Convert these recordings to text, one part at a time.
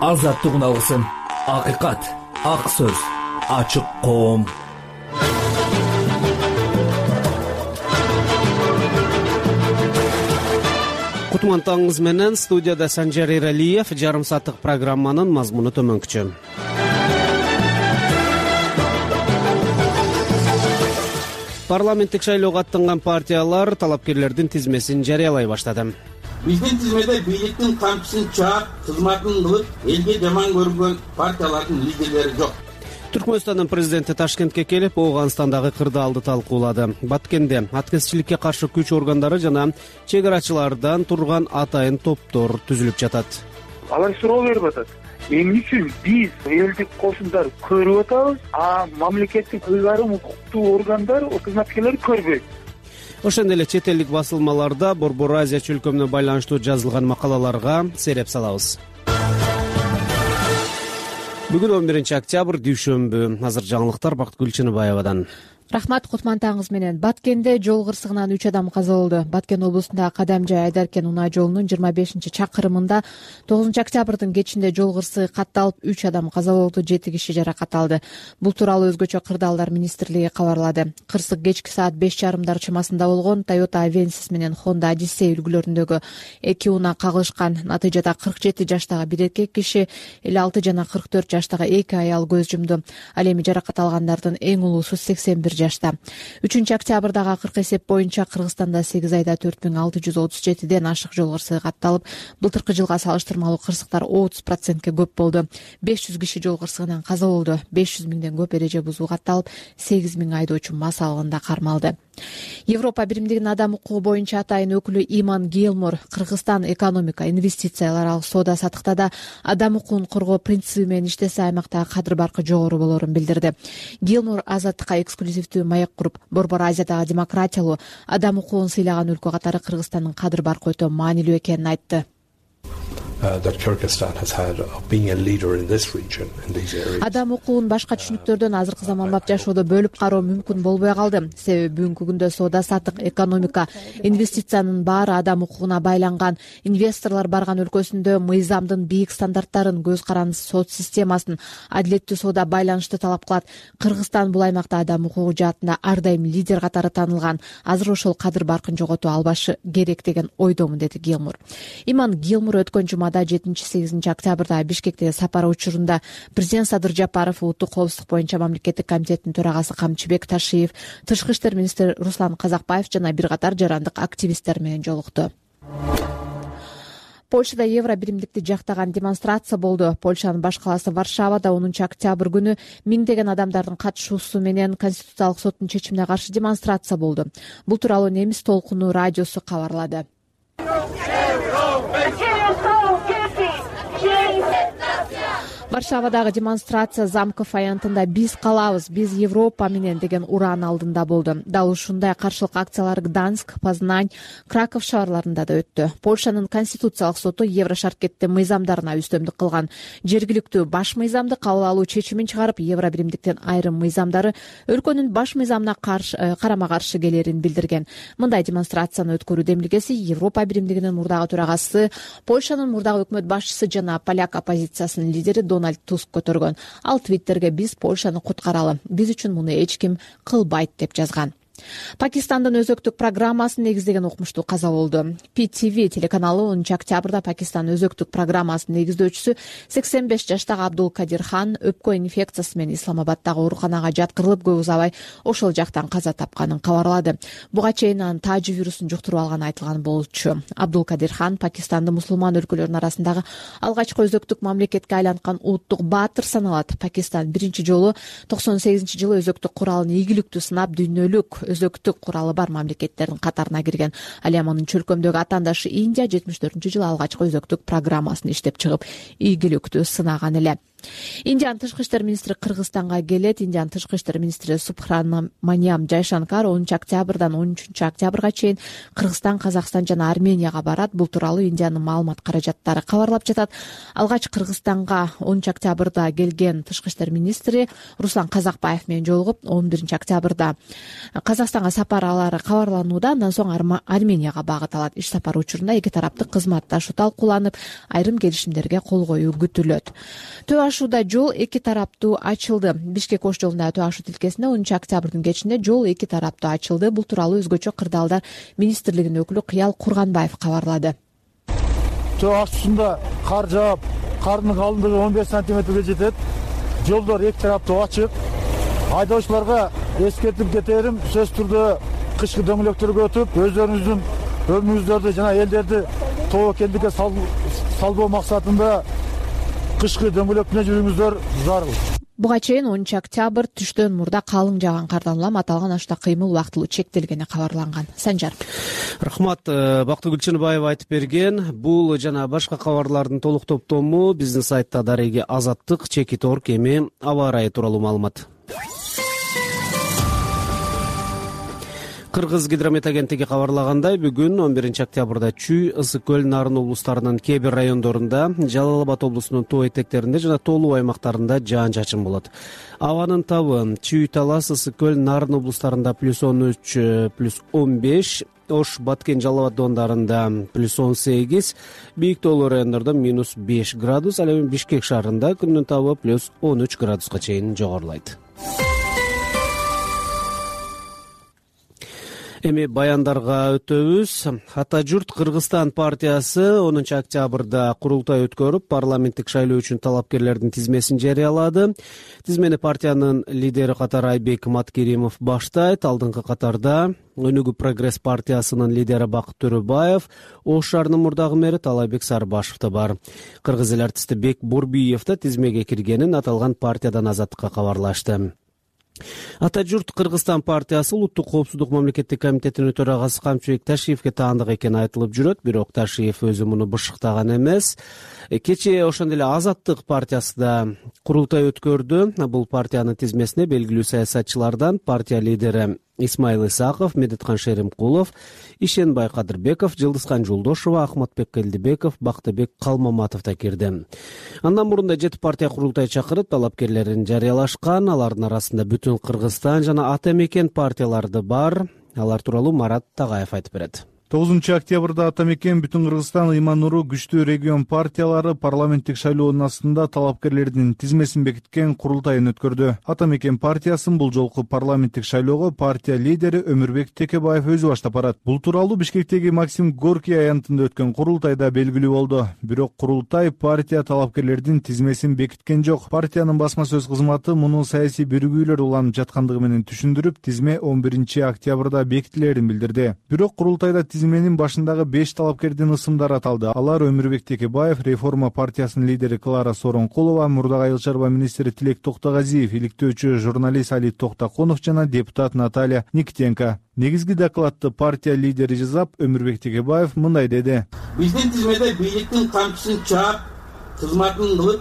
азаттык алсын. Акыйкат, ак сөз, ачык коом. Кутман таңыңыз менен студияда Санжар Эралиев. Жарым сааттык программанын мазмуну төмөнкүчө. Парламенттик шайлоого аттанган партиялар талапкерлердин тизмесин жарыялай баштады. Биздин тизмеде бийликтин камчысын чаап, кызматын кылып, элге жаман көргөн партиялардын лидерлери жок. Түркмөнстандын президенти Ташкентке келип, Ооганстандагы кырдаалды талкуулады. Баткенде аткезчиликке каршы күч органдары жана чек арачылардан турган атайын топтор түзүлүп жатат. Алар суроо берип атат. Эмне үчүн биз элдик кошундар көрүп атабыз, а мамлекеттик ыйгарым укуктуу органдар, кызматкерлер көрбөйт? Ошондой эле чет элдик басылмаларда Борбор Азия чөлкөмүнө байланыштуу жазылган макалаларга сереп салабыз. Бүгүн 11 октябрь дүйшөмбү. Азыр жаңылыктар Бактыгүл Чыныбаевадан. Рахмат, Кутман таңыңыз менен. Баткенде жол кырсыгынан 3 адам каза болду. Баткен облусундагы Кадамжай Айдаркен унаа жолунун 25-чакырымында 9 октябрдын кечинде жол кырсыгы катталып, 3 адам каза болду, 7 киши жаракат алды. Бул тууралуу өзгөчө Кырдаалдар министрлиги кабарлады. Кырсык кечки саат 5:30 чамасында болгон. Toyota Avensis менен Honda Odyssey үлгүлөрүндөгү 2 унаа кагылышкан. Натыйжада 47 жаштагы бир эркек киши, 56 жана 44 жаштагы 2 аял көз жумду. Ал эми жаракат алгандардын эң улуусу 81 жашта. 3 октябрдагы акыркы эсеп боюнча Кыргызстанда 8 айда 4637ден ашык жол кырсыгы катталып, былтыркы жылга салыштырмалуу кырсыктар 30%ке көп болду. 500 киши жол кырсыгынан каза болду. 500 миңден көп эреже бузуу катталып, 8 миң айдоочу мас алгында кармалды. Европа биримдигинин адам укугу боюнча атайын өкүлү Иман Гилмор Кыргызстан экономика, инвестициялар, соода саттыкта адам укугун коргоо принциби менен иштесе аймактагы кадыр баркы жогору болорун билдирди. Гилмор азаттыкка эксклюзивдүү маек куруп, Борбор Азиядагы демократиялуу, адам укугун сыйлаган өлкө катары Кыргызстандын кадыр баркы өтө маанилүү экенин айтты. Адам укугун башка түшүнүктөрдөн азыркы заманбап жашоодо бөлүп кароо мүмкүн болбой калды. Себеби бүгүнкү күндө соода саттык, экономика, инвестициянын баары адам укугуна байланган. Инвесторлор барган өлкөсүндө мыйзамдын бийик стандарттарын, көз карандысыз сот системасын, адилеттүү соода байланышты талап кылат. Кыргызстан бул аймакта адам укугу жаатында ар дайым лидер катары таанылган. Азыр ошол кадыр баркын жогото албашы керек деген ойдомун, деди Гилмор. Иман Гилмор өткөн жумада 7-8 октябрда Бишкектеги сапары учурунда президент Садыр Жапаров, улуттук коопсуздук боюнча мамлекеттик комитеттин төрагасы Камчыбек Ташиев, тышкы иштер министри Руслан Казакбаев жана бир катар жарандык активисттер менен жолукту. Польшада евро биримдикти жактаган демонстрация болду. Польшанын баш калаасы Варшавада 10 октябрь күнү миңдеген адамдардын катышуусу менен Конституциялык соттун чечимине каршы демонстрация болду. Бул тууралуу Немис толкуну радиосу кабарлады. Варшавадагы демонстрация Замков аянтында «Биз калабыз, биз Европа менен» деген ураан алдында болду. Дал ушундай каршылык акциялар Гданск, Познань, Краков шаарларында да өттү. Польшанын Конституциялык соту Еврошаркеттин мыйзамдарына үстөмдүк кылган. Жергиликтүү баш мыйзамды кабыл алуу чечимин чыгарып, евро биримдиктин айрым мыйзамдары өлкөнүн баш мыйзамына карама каршы келерин билдирген. Мындай демонстрацияны өткөрүү демилгеси Европа биримдигинин мурдагы төрагасы, Польшанын мурдагы өкмөт башчысы жана поляк оппозициясынын лидери Дональд Туск көтөргөн. Ал Твиттерге «Биз Польшаны куткаралы, биз үчүн муну эч ким кылбайт» деп жазган. Пакистандын өзөктүк программасын негиздеген окумуштуу каза болду. PTV телеканалы 10 октябрда Пакистан өзөктүк программасынын негиздөөчүсү 85 жаштагы Абдул Кадир Хан өпкө инфекциясы менен Исламабаддагы ооруканага жаткырылып, көп узабай ошол жактан каза тапканын кабарлады. Буга чейин анын тажи вирусун жуктуруп алганы айтылган болчу. Абдул Кадир Хан Пакистанды мусулман өлкөлөрүнүн арасындагы алгачкы өзөктүк мамлекетке айланткан улуттук баатыр саналат. Пакистан биринчи жолу 98-жылы өзөктүк куралын ийгиликтүү сынап, дүйнөлүк өзөктүк куралы бар мамлекеттердин катарына кирген. Ал эми анын чөлкөмдөгү атаандашы Индия 74-жылы алгачкы өзөктүк программасын иштеп чыгып, ийгиликтүү сынаган эле. Индиянын тышкы иштер министри Кыргызстанга келет. Индиянын тышкы иштер министри Субхраманиям Жайшанкар 10 октябрдан 13 октябрга чейин Кыргызстан, Казакстан жана Арменияга барат. Бул тууралуу Индиянын маалымат каражаттары кабарлап жатат. Алгач Кыргызстанга 10 октябрда келген тышкы иштер министри Руслан Казакбаев менен жолугуп, 11 октябрда Казакстанга сапарлары кабарланууда. Андан соң Арменияга багыт алат. Иш сапар учурунда эки тараптык кызматташуу талкууланып, айрым келишимдерге кол коюу күтүлөт. Төө ашууда жол эки тараптуу ачылды. Бишкек-Ош жолундагы төө ашуу тилкесинде 10 октябрдын кечинде жол эки тараптуу ачылды. Бул тууралуу өзгөчө кырдаалдар министрлигинин өкүлү Кыял Курганбаев кабарлады. Төө ашуусунда кар жаап, кардын калыңдыгы 15 сантиметрге жетет. Жолдор эки тараптуу ачык. Айдоочуларга эскертип кетерим, сөзсүз түрдө кышкы дөңгөлөктөргө өтүп, өздөрүңүздүн өмүрүңүздөрдү жана элдерди тобокелдикке салбоо максатында кышкы дөңгөлөктүнө жүрүүңүздөр зарыл. Буга чейин 10 октябрь түштөн мурда калың жааган кардан улам аталган ашта кыймыл убактылуу чектелгени кабарланган. Санжар. Рахмат. Бактыгүл Чыныбаева айтып берген. Бул жана башка кабарлардын толук топтому биздин сайтта дареги Азаттык, Чекит Орг эми аба ырайы тууралуу маалымат. Кыргыз гидромет агенттиги кабарлагандай, бүгүн 11 октябрда Чүй, Ысык көл, Нарын облустарынын кээ бир райондорунда, Жалал Абад облусунун тоо этектеринде жана тоолуу аймактарында жаан-чачын болот. Абанын табы Чүй, Талас, Ысык көл, Нарын облустарында +13, +15, Ош, Баткен, Жалал Абад доондарында +18, бийик тоолуу райондордо -5 градус, ал эми Бишкек шаарында күндүн табы +13 градуска чейин жогорулайт. Эми баяндарга өтөбүз. Ата журт Кыргызстан партиясы 10 октябрда курултай өткөрүп, парламенттик шайлоо үчүн талапкерлердин тизмесин жарыялады. Тизмени партиянын лидери катары Айбек Маткеримов баштайт. Алдыңкы катарда Өнүгүү прогресс партиясынын лидери Бакыт Төрөбаев, Ош шаарынын мурдагы мэри Талайбек Сарбашев да бар. Кыргыз эл артисти Бек Бурбиев да тизмеге киргенин аталган партиядан Азаттыкка кабарлашты. Ата журт Кыргызстан партиясы улуттук коопсуздук мамлекеттик комитетинин төрагасы Камчыбек Ташиевке таандык экени айтылып жүрөт, бирок Ташиев өзү муну бышыктаган эмес. Кечээ ошондой эле Азаттык партиясы да курултай өткөрдү. Бул партиянын тизмесине белгилүү саясатчылардан партия лидери Исмаил Исаков, Медеткан Шеримкулов, Ишенбай Кадырбеков, Жылдызкан Жолдошова, Ахматбек Келдибеков, Бактыбек Калмаматов да кирди. Андан мурун да 7 партия курултай чакырып, талапкерлерин жарыялашкан. Алардын арасында Бүтүн Кыргызстан жана Ата Мекен партиялары бар. Алар тууралуу Марат Тагаев айтып берет. 9 октябрда Ата Мекен, Бүтүн Кыргызстан, Иман Нуру, Күчтүү регион партиялары парламенттик шайлоонун астында талапкерлердин тизмесин бекиткен курултайын өткөрдү. Ата Мекен партиясын бул жолку парламенттик шайлоого партия лидери Өмүрбек Текебаев өзү баштап барат. Бул тууралуу Бишкектеги Максим Горький аянтында өткөн курултайда белгилүү болду. Бирок курултай партия талапкерлердин тизмесин бекиткен жок. Партиянын басма сөз кызматы муну саясий биригүүлөр уланып жаткандыгы менен түшүндүрүп, тизме 11 октябрда бекитилерин билдирди. Бирок курултайда тизменин башындагы 5 талапкердин ысымдары аталды. Алар Өмүрбек Текебаев, Реформа партиясынын лидери Клара Соронкулова, Мурдагы айыл чарба министри Тилек Токтогазиев, иликтөөчү журналист Али Токтаконов жана депутат Наталья Никитенко. Негизги докладты партия лидери жазап, Өмүрбек Текебаев мындай деди. Биздин тизмеде бийликтин камчысын чаап, кызматын кылып,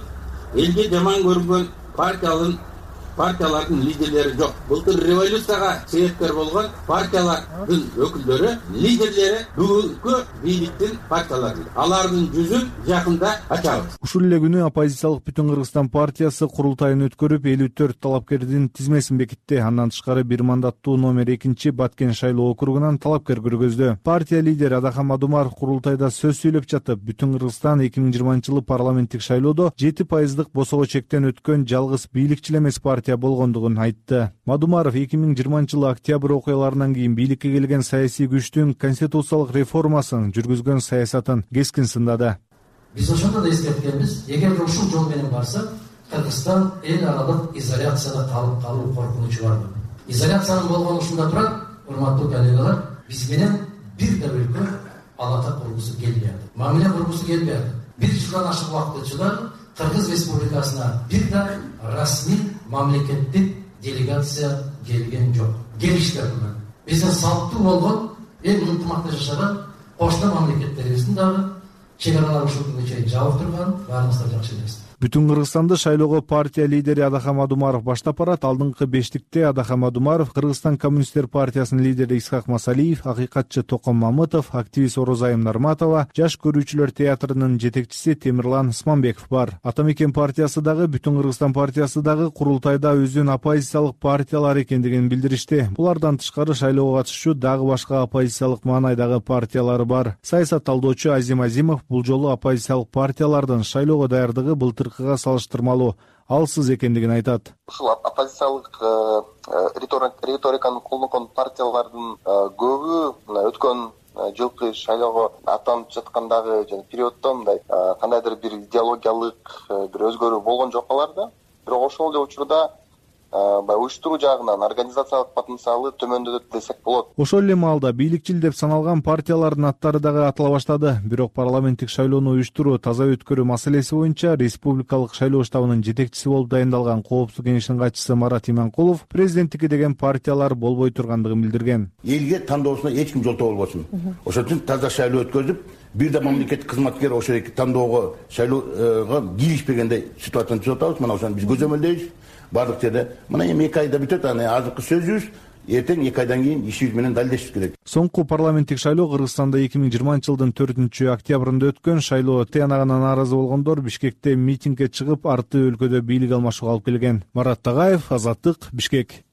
элге жаман көргөн партиялардын лидерлери жок. Былтыр революцияга себепкер болгон партиялардын өкүлдөрү, лидерлери бүгүнкү бийликтин партиялары. Алардын жүзүн жакында ачабыз. Ушул эле күнү оппозициялык Бүтүн Кыргызстан партиясы курултайын өткөрүп, 54 талапкердин тизмесин бекитти. Андан тышкары бир мандаттуу номер 2 Баткен шайлоо округунан талапкер көргөздү. Партия лидери Адахан Мадумаров курултайда сөз сүйлөп жатып, Бүтүн Кыргызстан 2020-жылы парламенттик шайлоодо 7% босого чектен өткөн жалгыз бийликчил эмес партия болгондугун айтты. Мадумаров 2020-жылы октябрь окуяларынан кийин бийликке келген саясий күчтүн конституциялык реформасын жүргүзгөн саясатын кескин сындады. Биз ошондо да эскерткенбиз, эгер ушул жол менен барсак, Кыргызстан эл аралык изоляцияда калуу коркунучу бар. Изоляциянын болгону ушунда турат, урматтуу коллегалар, биз менен бир да өлкө алата кургусу келбей атат. Мамиле кургусу келбей атат. Бир жылдан ашык убакыт өтүп, Кыргыз Республикасына бир да расмий мамлекеттик делегация келген жок. Келиштер менен. Биздин салттуу болгон эл ынтымакта жашаган кошмо мамлекеттерибиздин дагы чек аралары ушул күнгө чейин жабык турган, баарыбыз да жакшы билебиз. Бүтүн Кыргызстанды шайлоого партия лидери Адахам Адумаров баштап барат. Алдыңкы бештикте Адахам Адумаров, Кыргызстан коммунисттер партиясынын лидери Исхак Масалиев, акыйкатчы Током Мамытов, активист Орозайым Нарматова, Жаш көрүүчүлөр театрынын жетекчиси Темирлан Сманбеков бар. Атамекен партиясы дагы, Бүтүн Кыргызстан партиясы дагы курултайда өзүнүн оппозициялык партиялар экендигин билдиришти. Булардан тышкары шайлоого катышчу дагы башка оппозициялык маанайдагы партиялары бар. Саясат талдоочу Азим Азимов бул жолу оппозициялык партиялардын шайлоого даярдыгы былтыркыга салыштырмалуу алсыз экендигин айтат. Ушул оппозициялык риториканы колдонгон партиялардын көбү өткөн жылкы шайлоого аттанып жаткандагы жана периоддо мындай кандайдыр бир идеологиялык бир өзгөрүү болгон жок аларда. Бирок ошол эле учурда баягы уюштуруу жагынан организациялык потенциалы төмөндөдү десек болот. Ошол эле маалда бийликчил деп саналган партиялардын аттары дагы атала баштады. Бирок парламенттик шайлоону уюштуруу, таза өткөрүү маселеси боюнча республикалык шайлоо штабынын жетекчиси болуп дайындалган Коопсуздук кеңешинин катчысы Марат Иманкулов президенттикке деген партиялар болбой тургандыгын билдирген. Элге тандоосуна эч ким жолтоо болбосун. Ошол үчүн таза шайлоо өткөзүп, бир да мамлекеттик кызматкер ошол тандоого, шайлоого кийлишпегендей ситуацияны түзүп атабыз. Мына ошону биз көзөмөлдөйбүз. Бардык жерде мына эми 2 айда бүтөт. Азыркы сөзүбүз эртең 2 айдан кийин ишибиз менен далилдешибиз керек. Соңку парламенттик шайлоо Кыргызстанда 2020-жылдын 4-октябрында өткөн. Шайлоо тыянагына нааразы болгондор Бишкекте митингге чыгып, арты өлкөдө бийлик алмашууга алып келген. Марат Тагаев, Азаттык, Бишкек.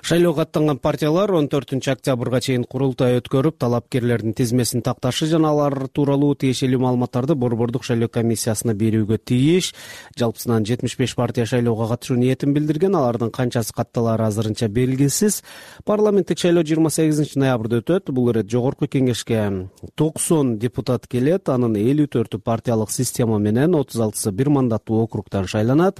Шайлоого аттанган партиялар 14-октябрга чейин курултай өткөрүп, талапкерлердин тизмесин такташы жана алар тууралуу тиешелүү маалыматтарды Борбордук шайлоо комиссиясына берүүгө тийиш. Жалпысынан 75 партия шайлоого катышуу ниетин билдирген. Алардын канчасы катталары азырынча белгисиз. Парламенттик шайлоо 28-ноябрда өтөт. Бул ирет жогорку кеңешке 90 депутат келет. Анын 54-ü партиялык система менен, 36-сы бир мандаттуу округтан шайланат.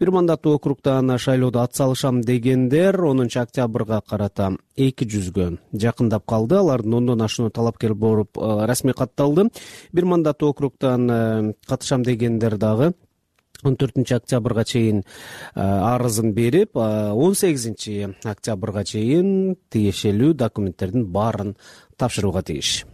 Бир мандаттуу округтан шайлоодо атсалышам дегендер 10-октябрга карата 200-гө жакындап калды. Алардын 10дон ашуун талапкер болуп расмий катталды. Бир мандаттуу округтан катышам дегендер дагы 14-октябрга чейин арызын берип, 18-октябрга чейин тиешелүү документтердин баарын тапшырууга тийиш.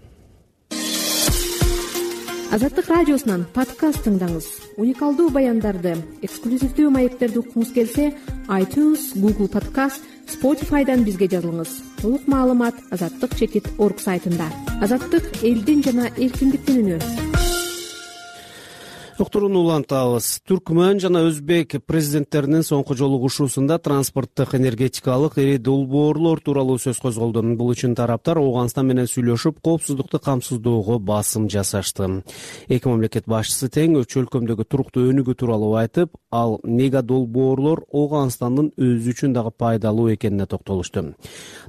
Азаттык радиосунан подкаст тыңдаңыз. Уникалдуу баяндарды, эксклюзивдүү маектерди уккуңуз келсе, iTunes, Google Podcast, Spotify'дан бизге жазылыңыз. Толук маалымат azattik.org сайтында. Азаттык — элдин жана эркиндиктин үнү. Уктурууну улантабыз. Түркмөн жана Өзбек президенттеринин соңку жолугушуусунда транспорттук, энергетикалык ири долбоорлор тууралуу сөз козголду. Бул үчүн тараптар Ооганстан менен сүйлөшүп, коопсуздукту камсыздоого басым жасашты. Эки мамлекет башчысы тең өлкөмдөгү туруктуу өнүгүү тууралуу айтып, ал мега долбоорлор Ооганстандын өзү үчүн дагы пайдалуу экенине токтолушту.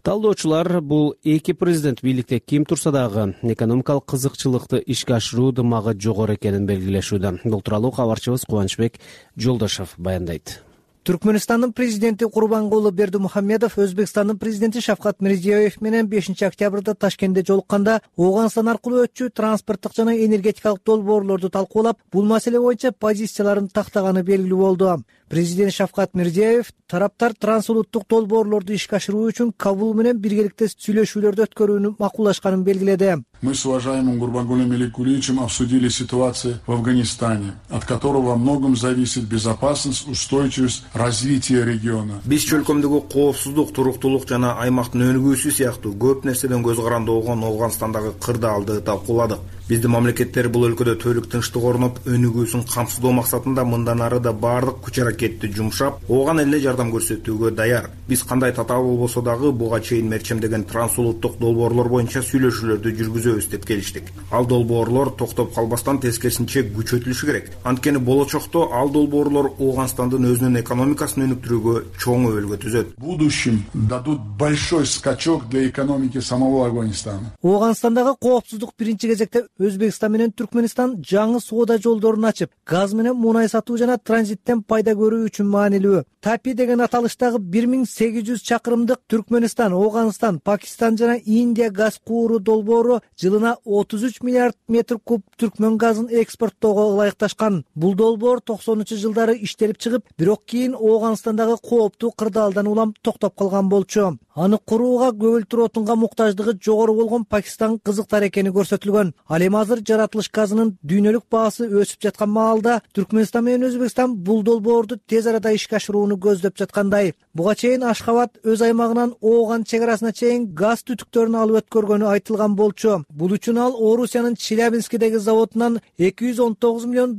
Талдоочулар бул эки президент бийликте ким турса дагы экономикалык кызыкчылыкты ишке ашыруу дымагы жогору экенин белгилешүүдө. Бул тууралуу кабарчыбыз Кубанычбек Жолдошов баяндайт. Түркмөнстандын президенти Курбангулы Бердимухамедов Өзбекстандын президенти Шавкат Мирзиёев менен 5-октябрда Ташкентте жолукканда Ооганстан аркылуу өтчү транспорттук жана энергетикалык долбоорлорду талкуулап, бул маселе боюнча позицияларын тактаганы белгилүү болду. Президент Шавкат Мирзиёев тараптар трансулуттук долбоорлорду ишке ашыруу үчүн Кабул менен биргеликте сүйлөшүүлөрдү өткөрүүнү макулдашканын белгиледи. Мы с уважаемым Гурбангулом Меликулиевичем обсудили ситуацию в Афганистане, от которого во многом зависит безопасность, устойчивость, развитие региона. Биз чөлкөмдөгү коопсуздук, туруктуулук жана аймактын өнүгүүсү сыяктуу көп нерседен көз каранды болгон Ооганстандагы кырдаалды талкууладык. Биздин мамлекеттер бул өлкөдө түздүк, тынчтык орноп, өнүгүүсүн камсыздоо максатында мындан ары да баардык күч аракетти жумшап, ооган элине жардам көрсөтүүгө даяр. Биз кандай татаал болбосо дагы буга чейин мерчемдеген трансулуттук долбоорлор боюнча сүйлөшүүлөрдү жүргүзөбүз деп келиштик. Ал долбоорлор токтоп калбастан тескерисинче күчөтүлүшү керек. Анткени болочокто ал долбоорлор Ооганстандын өзүнүн экономикасын өнүктүрүүгө чоң өбөлгө түзөт. В будущем дадут большой скачок для экономики самого Афганистана. Ооганстандагы коопсуздук биринчи кезекте Өзбекстан менен Түркмөнстан жаңы соода жолдорун ачып, газ менен мунай сатуу жана транзиттен пайда көрүү үчүн маанилүү. Тапи деген аталыштагы 1800 чакырымдык Түркмөнстан, Ооганстан, Пакистан жана Индия газ кууру долбоору жылына 33 миллиард метр куб түркмөн газын экспорттоого ылайыкташкан. Бул долбоор 90-жылдары иштелип чыгып, бирок кийин Ооганстандагы кооптуу кырдаалдан улам токтоп калган болчу. Аны курууга көгүлтүр отунга муктаждыгы жогору болгон Пакистан кызыктар экени көрсөтүлгөн. Ал эми азыр жаратылыш газынын дүйнөлүк баасы өсүп жаткан маалда Түркмөнстан менен Өзбекстан бул долбоорду тез арада ишке ашырууну көздөп жаткандай. Буга чейин Ашхабад өз аймагынан Ооган чек арасына чейин газ түтүктөрүн алып өткөргөнү айтылган болчу. Бул үчүн ал Орусиянын Челябинскидеги заводунан $219 миллион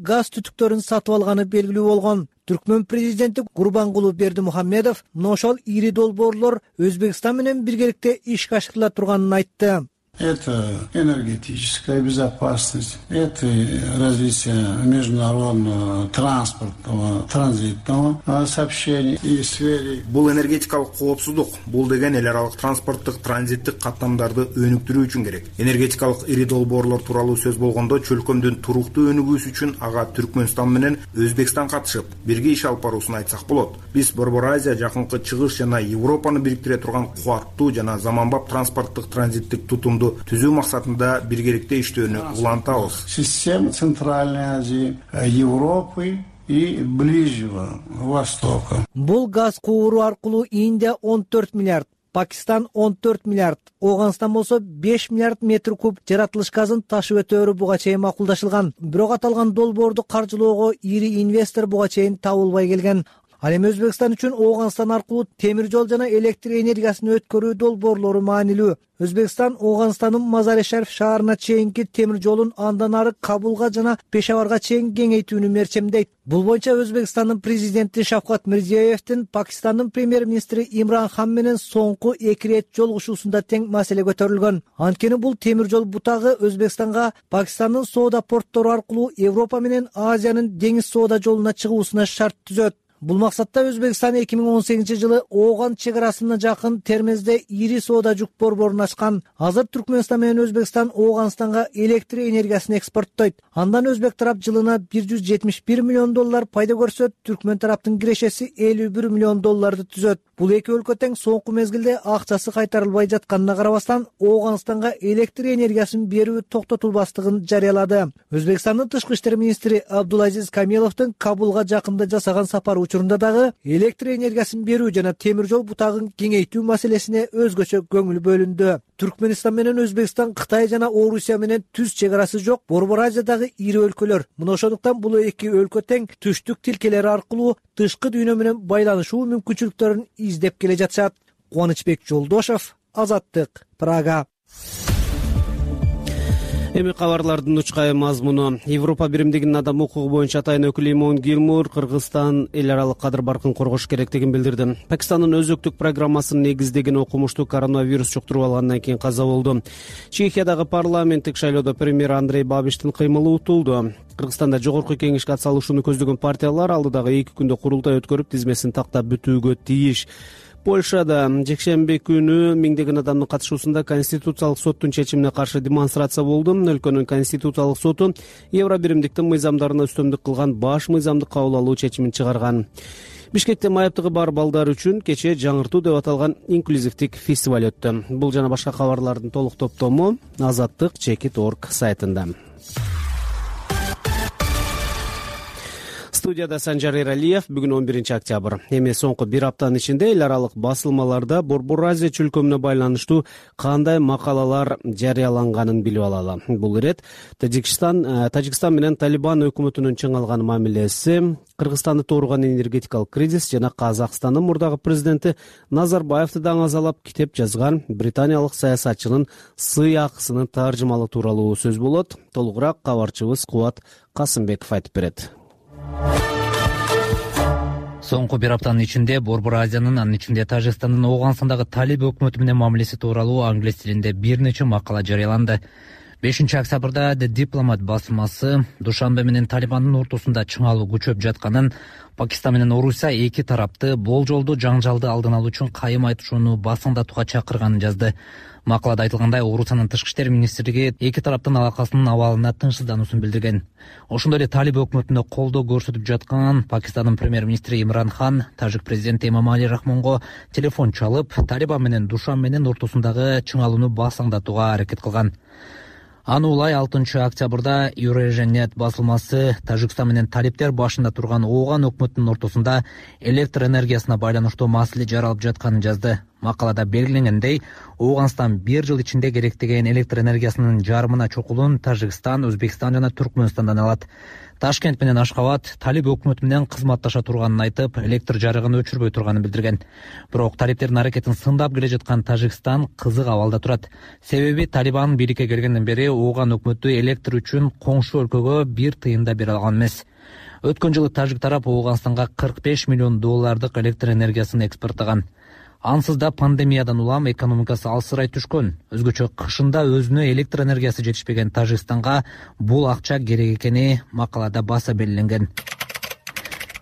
газ түтүктөрүн сатып алганы белгилүү болгон. Түркмөн президенти Гурбангулу Бердимухамедов мына ошол ири долбоорлор Өзбекстан менен биргеликте ишке ашырыла турганын айтты. Это энергетическая безопасность, это развитие международного транспортного, транзитного сообщений и связи. Бул энергетикалык коопсуздук. Бул деген эл аралык транспорттук, транзиттик каттамдарды өнүктүрүү үчүн керек. Энергетикалык ири долбоорлор тууралуу сөз болгондо чөлкөмдүн туруктуу өнүгүүсү үчүн ага Түркмөнстан менен Өзбекстан катышып, бирге иш алып баруусун айтсак болот. Биз Борбор Азия, Жакынкы Чыгыш жана Европаны бириктире турган кубаттуу жана заманбап транспорттук, транзиттик тутумду түзүү максатында биргеликте иштөөнү улантабыз. Система Центральной Азии, Европы и Ближнего Востока. Бул газ кууру аркылуу Индия 14 миллиард, Пакистан 14 миллиард, Ооганстан болсо 5 миллиард метр куб жаратылыш газын ташып өтөөрү буга чейин макулдашылган. Бирок аталган долбоорду каржылоого ири инвестор буга чейин табылбай келген. Ал эми Өзбекстан үчүн Ооганстан аркылуу темир жол жана электр энергиясын өткөрүү долбоорлору маанилүү. Өзбекстан Ооганстандын Мазари-Шариф шаарына чейинки темир жолун андан ары Кабулга жана Пешаварга чейин кеңейтүүнү мерчемдейт. Бул боюнча Өзбекстандын президенти Шавкат Мирзиёевдин Пакистандын премьер-министри Имран Хан менен соңку 2 ирет жолугушуусунда тең маселе көтөрүлгөн. Анткени бул темир жол бутагы Өзбекстанга Пакистандын соода порттору аркылуу Европа менен Азиянын деңиз соода жолуна чыгуусуна шарт түзөт. Бул максатта Өзбекстан 2018 жылы Ооган чек арасына жакын Термезде ири соода жүк борборун ачкан. Азыр Түркмөнстан менен Өзбекстан Ооганстанга электр энергиясын экспорттойт. Андан өзбек тарап жылына $171 миллион пайда көрсө, Түркмөн тараптын кирешеси $51 миллион түзөт. Бул эки өлкө тең соңку мезгилде акчасы кайтарылбай жатканына карабастан Ооганстанга электр энергиясын берүү токтотулбастыгын жарыялады. Өзбекстандын тышкы иштер министри Абдулазиз Камиловдун Кабулга жакында жасаган сапары учурунда дагы электр энергиясын берүү жана темир жол бутагын кеңейтүү маселесине өзгөчө көңүл бөлүндү. Түркмөнстан менен Өзбекстан Кытай жана Орусия менен түз чек арасы жок Борбор Азиядагы ири өлкөлөр. Мына ошондуктан бул эки өлкө тең түштүк тилкелери аркылуу тышкы дүйнө менен байланышуу мүмкүнчүлүктөрүн издеп келе жатышат. Кубанычбек Жолдошов, Азаттык, Прага. Эми кабарлардын учкай мазмуну. Европа биримдигинин адам укугу боюнча атайын өкүлү Имон Гилмур Кыргызстан эл аралык кадыр баркын коргош керектигин билдирди. Пакистандын өзөктүк программасынын негиздеген окумуштуу коронавирус жуктуруп алгандан кийин каза болду. Чехиядагы парламенттик шайлоодо премьер Андрей Бабиштин кыймылы утулду. Кыргызстанда жогорку кеңешке атсалышууну көздөгөн партиялар алдыдагы 2 күндө курултай өткөрүп тизмесин тактап бүтүүгө тийиш. Польшада жекшемби күнү миңдеген адамдын катышуусунда Конституциялык соттун чечимине каршы демонстрация болду. Өлкөнүн Конституциялык соту Евро биримдиктин мыйзамдарына үстөмдүк кылган баш мыйзамды кабыл алуу чечимин чыгарган. Бишкекте майыптыгы бар балдар үчүн кечээ жаңыртуу деп аталган инклюзивдик фестиваль өттү. Бул жана башка кабарлардын толук топтому Азаттык.org сайтында. Студияда Санжар Эралиев. Бүгүн 11 октябрь. Эми соңку бир аптанын ичинде эл аралык басылмаларда Борбор Азия чөлкөмүнө байланыштуу кандай макалалар жарыяланганын билип алалы. Бул ирет Тажикстан менен Талибан өкмөтүнүн чың алган мамилеси, Кыргызстанды тууруган энергетикалык кризис жана Казакстандын мурдагы президенти Назарбаевди даңазалап китеп жазган британиялык саясатчынын сый акысынын таржымалы тууралуу сөз болот. Толугураак кабарчыбыз Кубат Касымбеков айтып берет. Соңку бир аптанын ичинде Борбор Азиянын, анын ичинде Тажикстандын Ооганстандагы Талиб өкмөтү менен мамилеси тууралуу англис тилинде бир нече макала жарыяланды. 5 октябрда The Diplomat басылмасы Душанбе менен Талибандын ортосунда чыңалуу күчөп жатканын, Пакистан менен Орусия эки тарапты болжолдуу жаңжалды алдын алуу үчүн кайым айтышууну басыңдатууга чакырганын жазды. Макалада айтылгандай, Орусиянын тышкы иштер министрлиги эки тараптын алакасынын абалына тынчсыздануусун билдирген. Ошондой эле Талиб өкмөтүнө колдоо көрсөтүп жаткан Пакистандын премьер-министри Имран Хан тажик президенти Эмомали Рахмонго телефон чалып, Талибан менен Душан менен ортосундагы чыңалууну басаңдатууга аракет кылган. Аны улай 6 октябрда Eurasian.net басылмасы Тажикстан менен талиптер башында турган Ооган өкмөтүнүн ортосунда электр энергиясына байланыштуу маселе жаралып жатканын жазды. Макалада белгиленгендей, Ооганстан 1 жыл ичинде керектеген электр энергиясынын жарымына чукулун Тажикстан, Өзбекстан жана Түркмөнстандан алат. Ташкент менен Ашкабад Талиб өкмөтү менен кызматташа турганын айтып, электр жарыгын өчүрбөй турганын билдирген. Бирок талиптердин аракетин сындап келе жаткан Тажикстан кызык абалда турат. Себеби Талибан бийликке келгенден бери Ооган өкмөтү электр үчүн коңшу өлкөгө бир тыйын да бере алган эмес. Өткөн жылы тажик тарап Ооганстанга $45 миллион электр энергиясын экспорттаган. Ансыз да пандемиядан улам экономикасы алсырай түшкөн. Өзгөчө кышында өзүнө электр энергиясы жетишпеген Тажикстанга бул акча керек экени макалада баса белгиленген.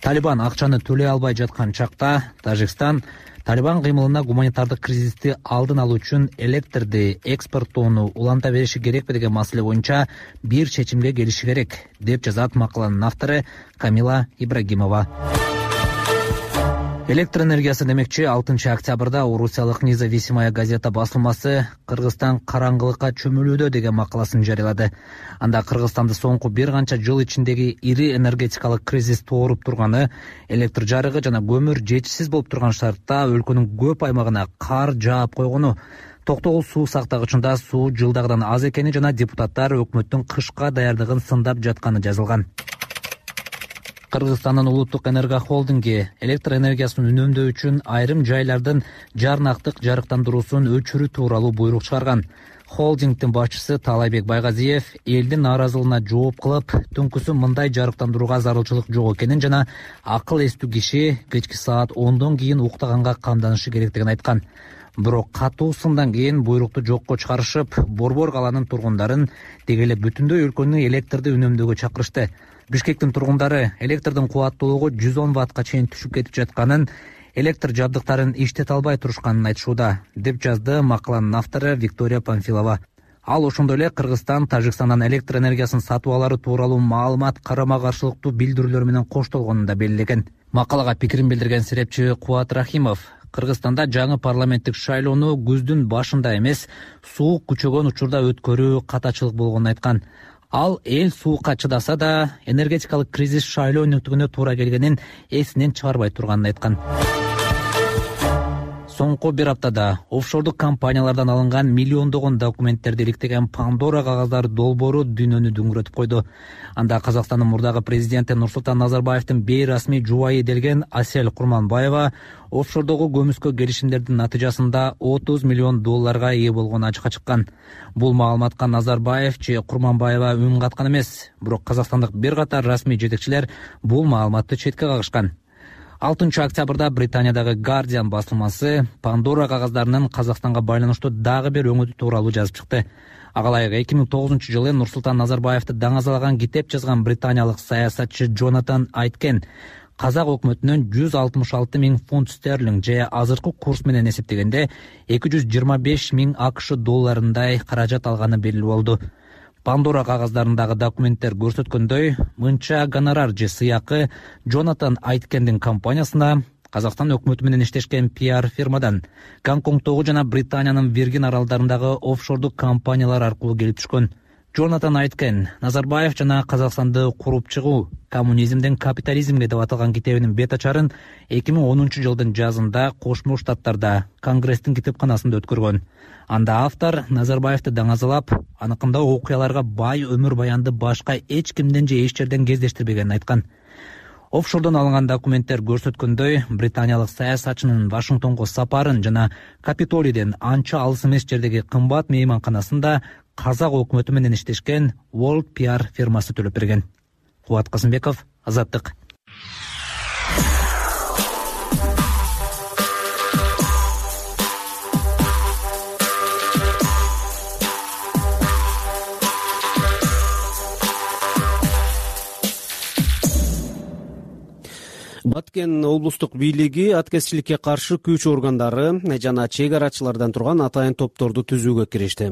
Талибан акчаны төлөй албай жаткан чакта Тажикстан Талибан кыймылына гуманитардык кризисти алдын алуу үчүн электрди экспорттоону уланта бериши керекпи деген маселе боюнча бир чечимге келиши керек, деп жазат макаланын автору Камила Ибрагимова. Электр энергиясы демекчи 6 октябрда Орусиялык Независимая газета басылмасы Кыргызстан караңгылыкка чөмүлүүдө деген макаласын жарыялады. Анда Кыргызстанды соңку бир канча жыл ичиндеги ири энергетикалык кризис тооруп турганы, электр жарыгы жана көмүр жетишсиз болуп турган шартта өлкөнүн көп аймагына кар жаап койгону, токтогул суу сактагычында суу жылдагыдан аз экени жана депутаттар өкмөттүн кышка даярдыгын сындап жатканы жазылган. Кыргызстандын улуттук энергохолдинги электр энергиясын үнөмдөө үчүн айрым жайлардын жарнактык жарыктандыруусун өчүрүү тууралуу буйрук чыгарган. Холдингдин башчысы Таалайбек Байгазиев элдин нааразылыгына жооп кылып, түнкүсү мындай жарыктандырууга зарылчылык жок экенин жана акыл эстүү киши кечки саат 10дон кийин уктаганга камданышы керектигин айткан. Бирок катуу сындан кийин буйрукту жокко чыгарышып, Борбор каланын тургундарын деги эле бүтүндөй өлкөнү электрди үнөмдөөгө чакырышты. Бишкектин тургундары электрдин кубаттуулугу 110 ваттка чейин түшүп кетип жатканын, электр жабдыктарын иштете албай турушканын айтышууда, деп жазды макаланын автору Виктория Памфилова. Ал ошондой эле Кыргызстан Тажикстандан электр энергиясын сатып алары тууралуу маалымат карама-каршылыктуу билдирүүлөр менен коштолгонун да белгилеген. Макалага пикирин билдирген серепчи Кубат Рахимов Кыргызстанда жаңы парламенттик шайлоону күздүн башында эмес, суук күчөгөн учурда өткөрүү катачылык болгонун айткан. Ал эл суукка чыдаса да энергетикалык кризис шайлоо өнүктүгүнө туура келгенин эсинен чыгарбай турганын айткан. Соңку бир аптада офшордук компаниялардан алынган миллиондогон документтерди иликтеген Пандора кагаздары долбоору дүйнөнү дүңүрөтүп койду. Анда Казакстандын мурдагы президенти Нурсултан Назарбаевдин бейрасмий жубайы делген Асель Курманбаева офшордогу көмүскө келишимдердин натыйжасында $30 миллион ээ болгону ачыкка чыккан. Бул маалыматка Назарбаев же Курманбаева үн каткан эмес, бирок казакстандык бир катар расмий жетекчилер бул маалыматты четке кагышкан. 6 октябрда Британиядагы Guardian басылмасы Пандора кагаздарынын Казакстанга байланыштуу дагы бир өңүтү тууралуу жазып чыкты. Агалайык 2009-жылы Нурсултан Назарбаевди даңазалаган китеп жазган британиялык саясатчы Джонатан Айткен казак өкмөтүнөн 166 000 фунт стерлинг же азыркы курс менен эсептегенде 225 000 АКШ долларындай каражат алганы белгилүү болду. Пандора кагаздарындагы документтер көрсөткөндөй, мынча гонорар же сыйакы Джонатан Айткендин компаниясына Казакстан өкмөтү менен иштешкен PR фирмадан, Гонконгдогу жана Британиянын Виргин аралдарындагы офшордук компаниялар аркылуу келип түшкөн. Джонатан Айткен Назарбаев жана Казакстанды куруп чыгуу, коммунизмден капитализмге деп аталган китебинин бет ачарын 2010-жылдын жазында Кошмо Штаттарда Конгресстин китепканасында өткөргөн. Анда автор Назарбаевди даңазалап, аныкында окуяларга бай өмүр баянды башка эч кимден же эч жерден кездештирбегенин айткан. Офшордон алынган документтер көрсөткөндөй, британиялык саясатчынын Вашингтонго сапарын жана Капитолийден анча алыс эмес жердеги кымбат мейманканасында казак өкмөтү менен иштешкен World PR фирмасы төлөп берген. Кубат Касымбеков, Азаттык. Баткен облустук бийлиги аткезчиликке каршы күч органдары жана чек арачылардан турган атайын топторду түзүүгө киришти.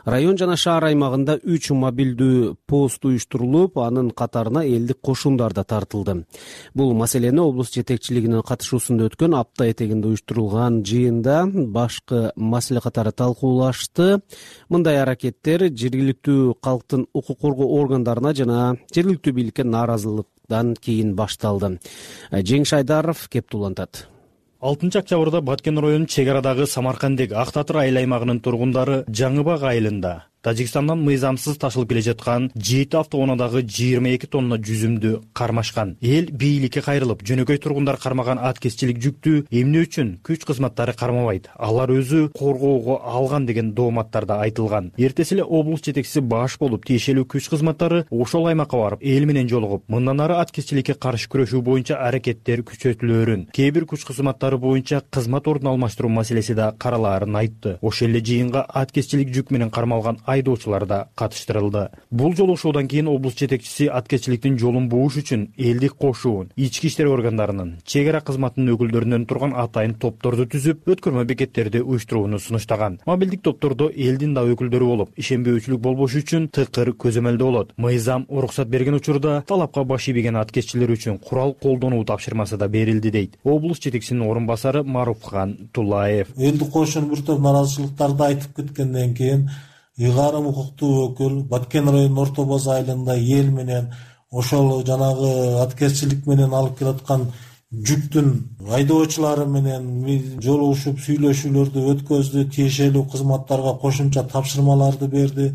Район жана шаар аймагында 3 мобилдүү пост уюштурулуп, анын катарына элдик кошундар да тартылды. Бул маселени облус жетекчилигинин катышуусунда өткөн апта этегинде уюштурулган жыйында башкы маселе катары талкуулашты. Мындай аракеттер жергиликтүү калктын укук коргоо органдарына жана жергиликтүү бийликке нааразылык кийин башталды. Жеңиш Айдаров кеп тулантат. 6 октябрда Баткен районунун чек арадагы Самаркандек Ак Татыр айыл аймагынын тургундары Жаңы Бак айылында Тажикстандан мыйзамсыз ташылып келе жаткан 7 автоунаадагы 22 тонна жүзүмдү кармашкан. Эл бийликке кайрылып, жөнөкөй тургундар кармаган аткезчилик жүктү эмне үчүн күч кызматтары кармабайт? Алар өзү коргоого алган деген дооматтарда айтылган. Эртеси эле облус жетекчиси баш болуп, тиешелүү күч кызматтары ошол аймакка барып, эл менен жолугуп, мындан ары аткезчиликке каршы күрөшүү боюнча аракеттер күчөтүлөөрүн, кээ бир күч кызматтары боюнча кызмат ордун алмаштыруу маселеси да каралаарын айтты. Ошол эле жыйынга аткезчилик жүк менен кармалган айдоочулар да катыштырылды. Бул жолугушуудан кийин облус жетекчиси аткезчиликтин жолун бууш үчүн элдик кошуун, ички иштер органдарынын, чек ара кызматынын өкүлдөрүнөн турган атайын топторду түзүп, өткөрмө бекеттерди уюштурууну сунуштаган. Мобилдик топтордо элдин да өкүлдөрү болуп, ишенбөөчүлүк болбош үчүн тыкыр көзөмөлдө болот. Мыйзам уруксат берген учурда талапка баш ийбеген аткезчилер үчүн курал колдонуу тапшырмасы да берилди, дейт облус жетекчисинин орун басары Маруфхан Тулаев. Элдик кошуун бир топ нааразычылыктарды айтып кеткенден кийин ыйгарым укуктуу өкүл Баткен районунун Орто Боз айылында эл менен ошол жанагы аткезчилик менен алып келаткан жүктүн айдоочулары менен жолугушуп сүйлөшүүлөрдү өткөздү, тиешелүү кызматтарга кошумча тапшырмаларды берди.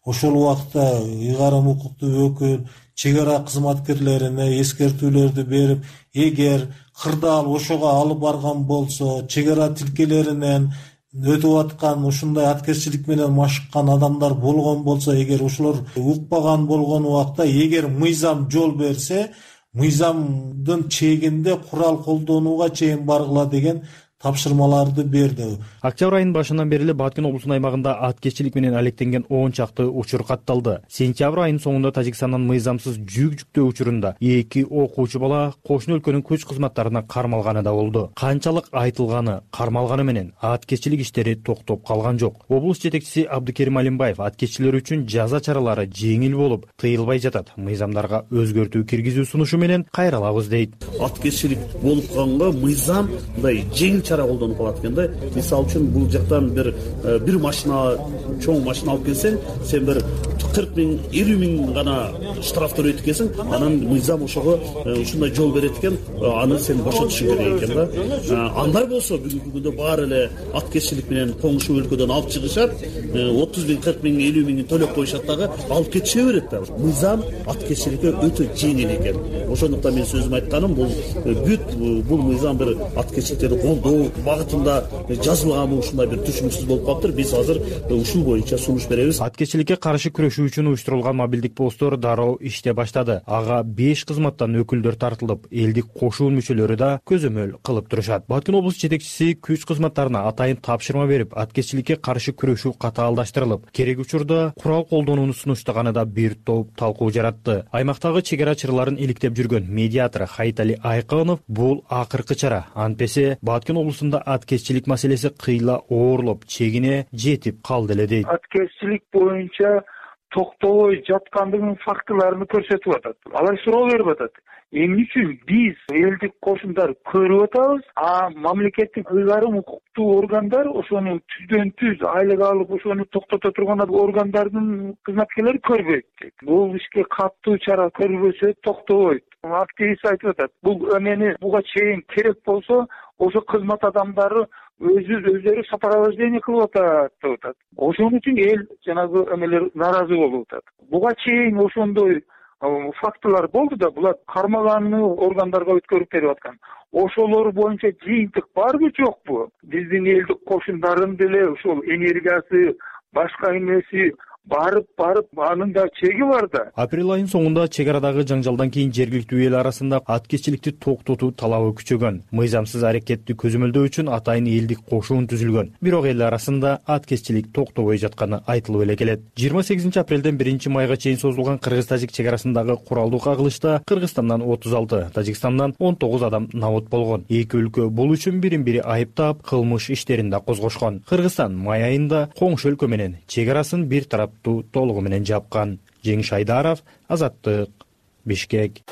Ошол убакта ыйгарым укуктуу өкүл чек ара кызматкерлерине эскертүүлөрдү берип, эгер кырдаал ошого алып барган болсо, чек ара тилкелеринен өтүп аткан ушундай аткезчилик менен машыккан адамдар болгон болсо, эгер ошолор укпаган болгон убакта, эгер мыйзам жол берсе, мыйзамдын чегинде курал колдонууга чейин баргыла деген тапшырмаларды берди. Октябрь айынын башынан бери эле Баткен облусунун аймагында аткезчилик менен алектенген 10 чакты учур катталды. Сентябрь айынын соңунда Тажикстандан мыйзамсыз жүк жүктөө учурунда 2 окуучу бала кошуна өлкөнүн күч кызматтарына кармалганы да болду. Канчалык айтылганы, кармалганы менен аткезчилик иштери токтоп калган жок. Облус жетекчиси Абдыкерим Алимбаев аткезчилер үчүн жаза чаралары жеңил болуп, тыйылбай жатат. Мыйзамдарга өзгөртүү киргизүү сунушу менен кайралабыз, дейт. Аткезчилик болуп калганга мыйзам мындай жеңил чара колдонуп калат экен да. Мисалы үчүн бул жактан бир машина, чоң машина алып келсең, сен бир 40 миң, 50 миң гана штраф төлөйт экенсиң, анан мыйзам ошого ушундай жол берет экен, аны сен бошотушуң керек экен да. Андай болсо бүгүнкү күндө баары эле аткезчилик менен коңшу өлкөдөн алып чыгышат, 30 миң, 40 миң, 50 миңин төлөп коюшат дагы, алып кетише берет да. Мыйзам аткезчиликке өтө жеңил экен. Ошондуктан мен сөзүм айтканым, бул мыйзам бир аткезчиликтерди колдоо багытында жазылганбы, ушундай бир түшүнүксүз болуп калыптыр. Биз азыр ушул боюнча сунуш беребиз. Аткезчиликке каршы күрөшүү үчүн уюштурулган мобилдик посттор дароо иште баштады. Ага 5 кызматтан өкүлдөр тартылып, элдик кошуун мүчөлөрү да көзөмөл кылып турушат. Баткен облус жетекчиси күч кызматтарына атайын тапшырма берип, аткезчиликке каршы күрөшүү катаалдаштырылып, керек учурда курал колдонууну сунуштаганы да бир топ талкуу жаратты. Аймактагы чек ара чараларын иликтеп жүргөн медиатор Хайтали Айканов бул акыркы чара. Антпесе Баткен облусунда аткезчилик маселеси кыйла оорлоп, чегине жетип калды эле, дейт. Аткезчилик боюнча токтобой жаткандыгынын фактыларын көрсөтүп атат. Алар суроо берип атат. Эмне үчүн биз элдик кошундар көрүп атабыз, мамлекеттин ыйгарым укуктуу органдар ошону түздөн-түз айлык алып ошону токтото турган органдардын кызматкерлери көрбөйт. Бул ишке катуу чара көрүлбөсө токтобойт. Активист айтып атат. Бул эмени буга чейин керек болсо, ошо кызмат адамдары өздөрү сопровождение кылып атат деп атат. Ошон үчүн эл жанагы эмелер нааразы болуп атат. Буга чейин ошондой фактылар болду да, булар кармаганды органдарга өткөрүп берип аткан. Ошолор боюнча жыйынтык барбы жокпу? Биздин элдик кошундардын деле ушул энергиясы, башка эмеси барып анын да чеги бар да. Апрель айынын соңунда чек арадагы жаңжалдан кийин жергиликтүү эл арасында аткезчиликти токтотуу талабы күчөгөн. Мыйзамсыз аракетти көзөмөлдөө үчүн атайын элдик кошуун түзүлгөн. Бирок эл арасында аткезчилик токтобой жатканы айтылып эле келет. 28 апрелден 1 майга чейин созулган кыргыз-тажик чек арасындагы куралдуу кагылышта Кыргызстандан 36, Тажикстандан 19 адам набут болгон. Эки өлкө бул үчүн бири-бири айыптап, кылмыш иштерин да козгошкон. Кыргызстан май айында коңшу өлкө менен чек арасын бир тарап толугу менен жапкан. Жеңиш Айдаров, Азаттык, Бишкек.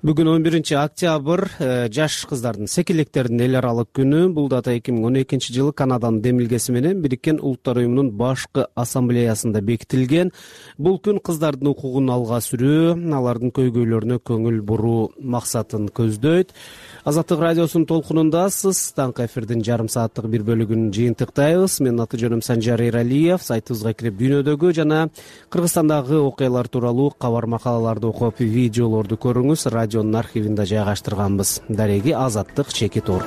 Бүгүн 11 октябрь жаш кыздардын, секилектердин эл аралык күнү. Бул дата 2012 жылы Канаданын демилгеси менен Бириккен Улуттар уюмунун башкы ассамблеясында бекитилген. Бул күн кыздардын укугун алга сүрүү, алардын көйгөйлөрүнө көңүл буруу максатын көздөйт. Азаттык радиосунун толкунундасыз. Таңкы эфирдин жарым сааттык бир бөлүгүн жыйынтыктайбыз. Менин аты жөнүм Санжар Эралиев. Сайтыбызга кирип дүйнөдөгү жана Кыргызстандагы окуялар тууралуу кабар макалаларды окуп, видеолорду көрүңүз. Радионун архивинде жайгаштырганбыз. Дареги Азаттык чекит орг.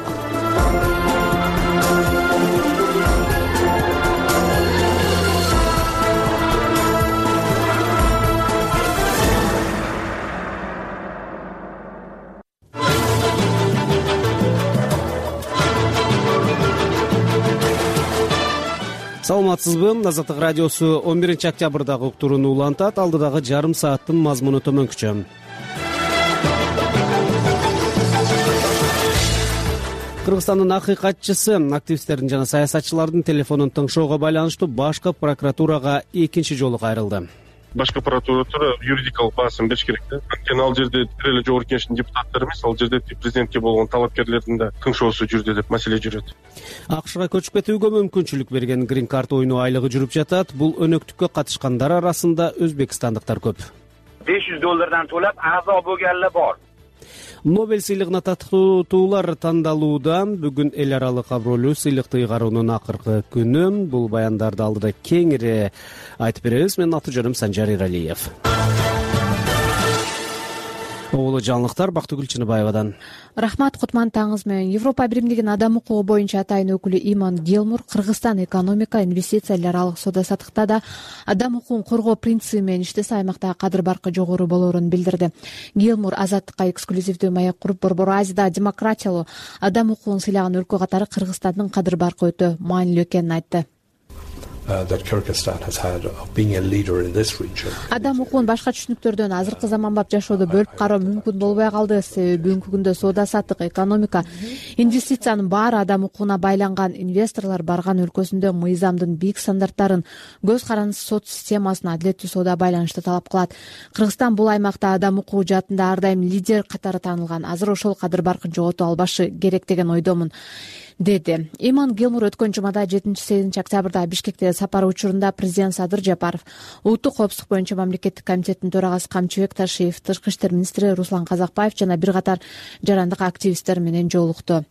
Саламатсызбы? Азаттык радиосу 11 октябрдагы уктурууну улантат. Алдыдагы жарым сааттын мазмуну төмөнкүчө. Кыргызстандын акыйкатчысы, активисттердин жана саясатчылардын телефонун тыңшоого байланыштуу башкы прокуратурага экинчи жолу кайрылды. Башкы прокуратура юридикалык баасын бериш керек да. Анткени ал жерде бир эле жогорку кеңештин депутаттары эмес, ал жерде президентке болгон талапкерлердин да тыңшоосу жүрдү деп маселе жүрөт. АКШга көчүп кетүүгө мүмкүнчүлүк берген грин карт оюну айлыгы жүрүп жатат. Бул өнөктүккө катышкандар арасында өзбекстандыктар көп. $500 тоолап a'zo bo'lganlar bor. Нобель сыйлыгына татыктуулар тандалууда. Бүгүн эл аралык абройлуу сыйлыкты ыйгаруунун акыркы күнү. Бул баяндарды алдыда кеңири айтып беребиз. Менин аты жөнүм Санжар Эралиев. Оолу жаңылыктар Бактыгүл Чыныбаевадан. Рахмат, кутман таңыңыз менен. Европа Биримдигинин адам укугу боюнча атайын өкүлү Иман Гилмур Кыргызстан экономика, инвестиция, эл аралык соода саттыкта да адам укугун коргоо принциби менен иштесе аймактагы кадыр баркы жогору болоорун билдирди. Гилмур Азаттыкка эксклюзивдүү маек куруп, Борбор Азияда демократиялуу адам укугун сыйлаган өлкө катары Кыргызстандын кадыр баркы өтө маанилүү экенин айтты. Адам укугун башка түшүнүктөрдөн азыркы заманбап жашоодо бөлүп кароо мүмкүн болбой калды. Себеби бүгүнкү күндө соода саттык, экономика, инвестициянын баары адам укугуна байланган. Инвесторлор барган өлкөсүндө мыйзамдын бийик стандарттарын, көз карандысыз сот системасын, адилеттүү соода байланышты талап кылат. Кыргызстан бул аймакта адам укугу жаатында ар дайым лидер катары таанылган. Азыр ошол кадыр баркын жоготуп албашы керек деген ойдомун, деди. Иман Гилмур өткөн жумада 7-8 октябрда Бишкекте сапары учурунда президент Садыр Жапаров, улуттук коопсуздук боюнча мамлекеттик комитеттин төрагасы Камчыбек Ташиев, тышкы иштер министри Руслан Казакбаев жана бир катар жарандык активисттер менен жолукту.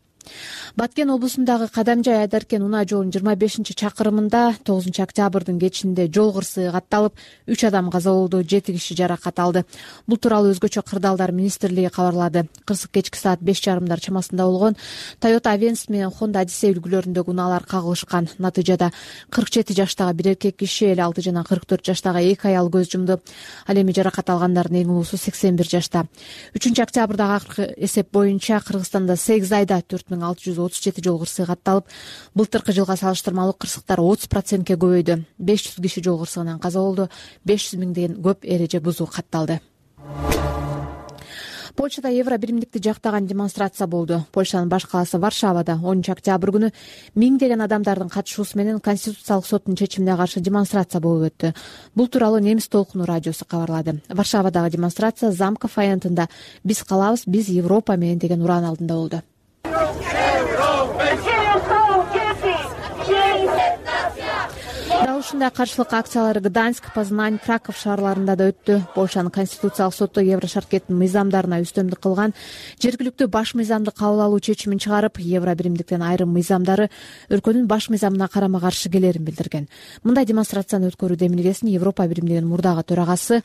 Баткен облусундагы Кадамжай Айдаркен унаа жолунун 25-чакырымында 9 октябрдын кечинде жол кырсыгы катталып, 3 адам каза болду, 7 киши жаракат алды. Бул тууралуу өзгөчө кырдаалдар министрлиги кабарлады. Кырсык кечки саат 5:30 чамасында болгон. Toyota Avensis менен Honda Odyssey үлгүлөрүндөгү унаалар кагылышкан. Натыйжада 47 жаштагы бир эркек киши, 56 жана 44 жаштагы 2 аял көз жумду. Ал эми жаракат алгандардын эң улуусу 81 жашта. 3 октябрдагы акыркы эсеп боюнча Кыргызстанда 8 айда 4637 жол кырсыгы катталып, былтыркы жылга салыштырмалуу кырсыктар 30%ке көбөйдү. 500 киши жол кырсыгынан каза болду, 500 миңден көп эреже бузуу катталды. Польшада Евро биримдикти жактаган демонстрация болду. Польшанын баш калаасы Варшавада 10 октябрь күнү миңдеген адамдардын катышуусу менен Конституциялык соттун чечимине каршы демонстрация болуп өттү. Бул тууралуу Немис толкуну радиосу кабарлады. Варшавадагы демонстрация Замков аянтында "Биз калабыз, биз Европа менен" деген уран алдында болду. Дал ушундай каршылык акциялары Гданьск, Познань, Краков шаарларында да өттү. Польшанын конституциялык соту Евро шаркеттин мыйзамдарына үстөмдүк кылган жергиликтүү баш мыйзамды кабыл алуу чечимин чыгарып, Евро биримдиктен айрым мыйзамдары өлкөнүн баш мыйзамына карама каршы келерин билдирген. Мындай демонстрацияны өткөрүү демилгесин Европа биримдигинин мурдагы төрагасы,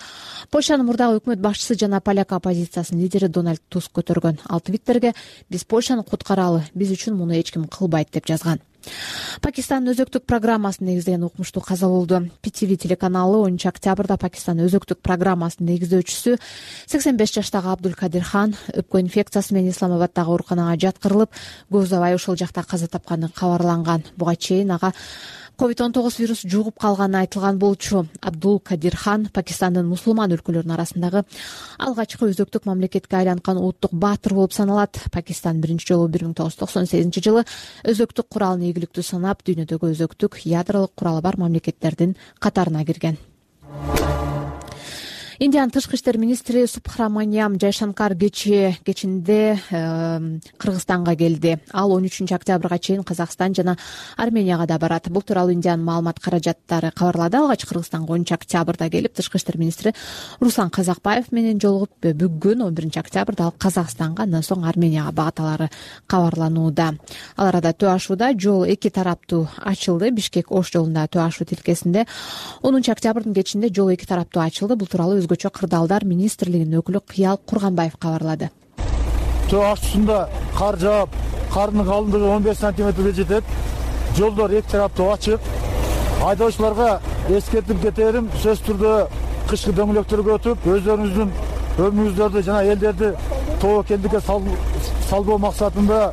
Польшанын мурдагы өкмөт башчысы жана поляк оппозициясынын лидери Дональд Туск көтөргөн. Ал Твиттерге "Биз Польшаны куткаралы, биз үчүн муну эч ким кылбайт" деп жазган. Пакистандын өзөктүк программасын негиздеген окумуштуу каза болду. PTV телеканалы 10 октябрда Пакистандын өзөктүк программасынын негиздөөчүсү 85 жаштагы Абдулкадир Хан өпкө инфекциясы менен Исламабаддагы ооруканага жаткырылып, көп убай ошол жакта каза тапканы кабарланган. Буга чейин ага COVID-19 вирус жугуп калганы айтылган болчу. Абдулкадир Хан Пакистандын мусулман өлкөлөрүнүн арасындагы алгачкы өзөктүк мамлекетке айланткан улуттук баатыр болуп саналат. Пакистан биринчи жолу 1998 жылы өзөктүк куралын ийгиликтүү санап, дүйнөдөгү өзөктүк ядролук куралы бар мамлекеттердин катарына кирген. Индиянын тышкы иштер министри Субхраманиям Жайшанкар кечинде Кыргызстанга келди. Ал 13 октябрга чейин Казакстан жана Арменияга да барат. Бул тууралуу Индиянын маалымат каражаттары кабарлады. Алгач Кыргызстанга 10 октябрда келип, тышкы иштер министри Руслан Казакбаев менен жолугуп, бүгүн 11 октябрда ал Казакстанга, андан соң Арменияга багат алары кабарланууда. Ал арада төө ашууда жол эки тараптуу ачылды. Бишкек-Ош жолунда төө ашуу тилкесинде 10 октябрдын кечинде жол эки тараптуу ачылды. Бул тууралуу өзгөчө кырдаалдар министрлигинин өкүлү Кыял Курганбаев кабарлады. Төө ашуусунда кар жаап, кардын калыңдыгы 15 сантиметрге жетет. Жолдор эки тараптуу ачык. Айдоочуларга эскертип кетерим, сөзсүз түрдө кышкы дөңгөлөктөргө өтүп, өздөрүңүздүн өмүрүңүздөрдү жана элдерди тобокелдикке салбоо максатында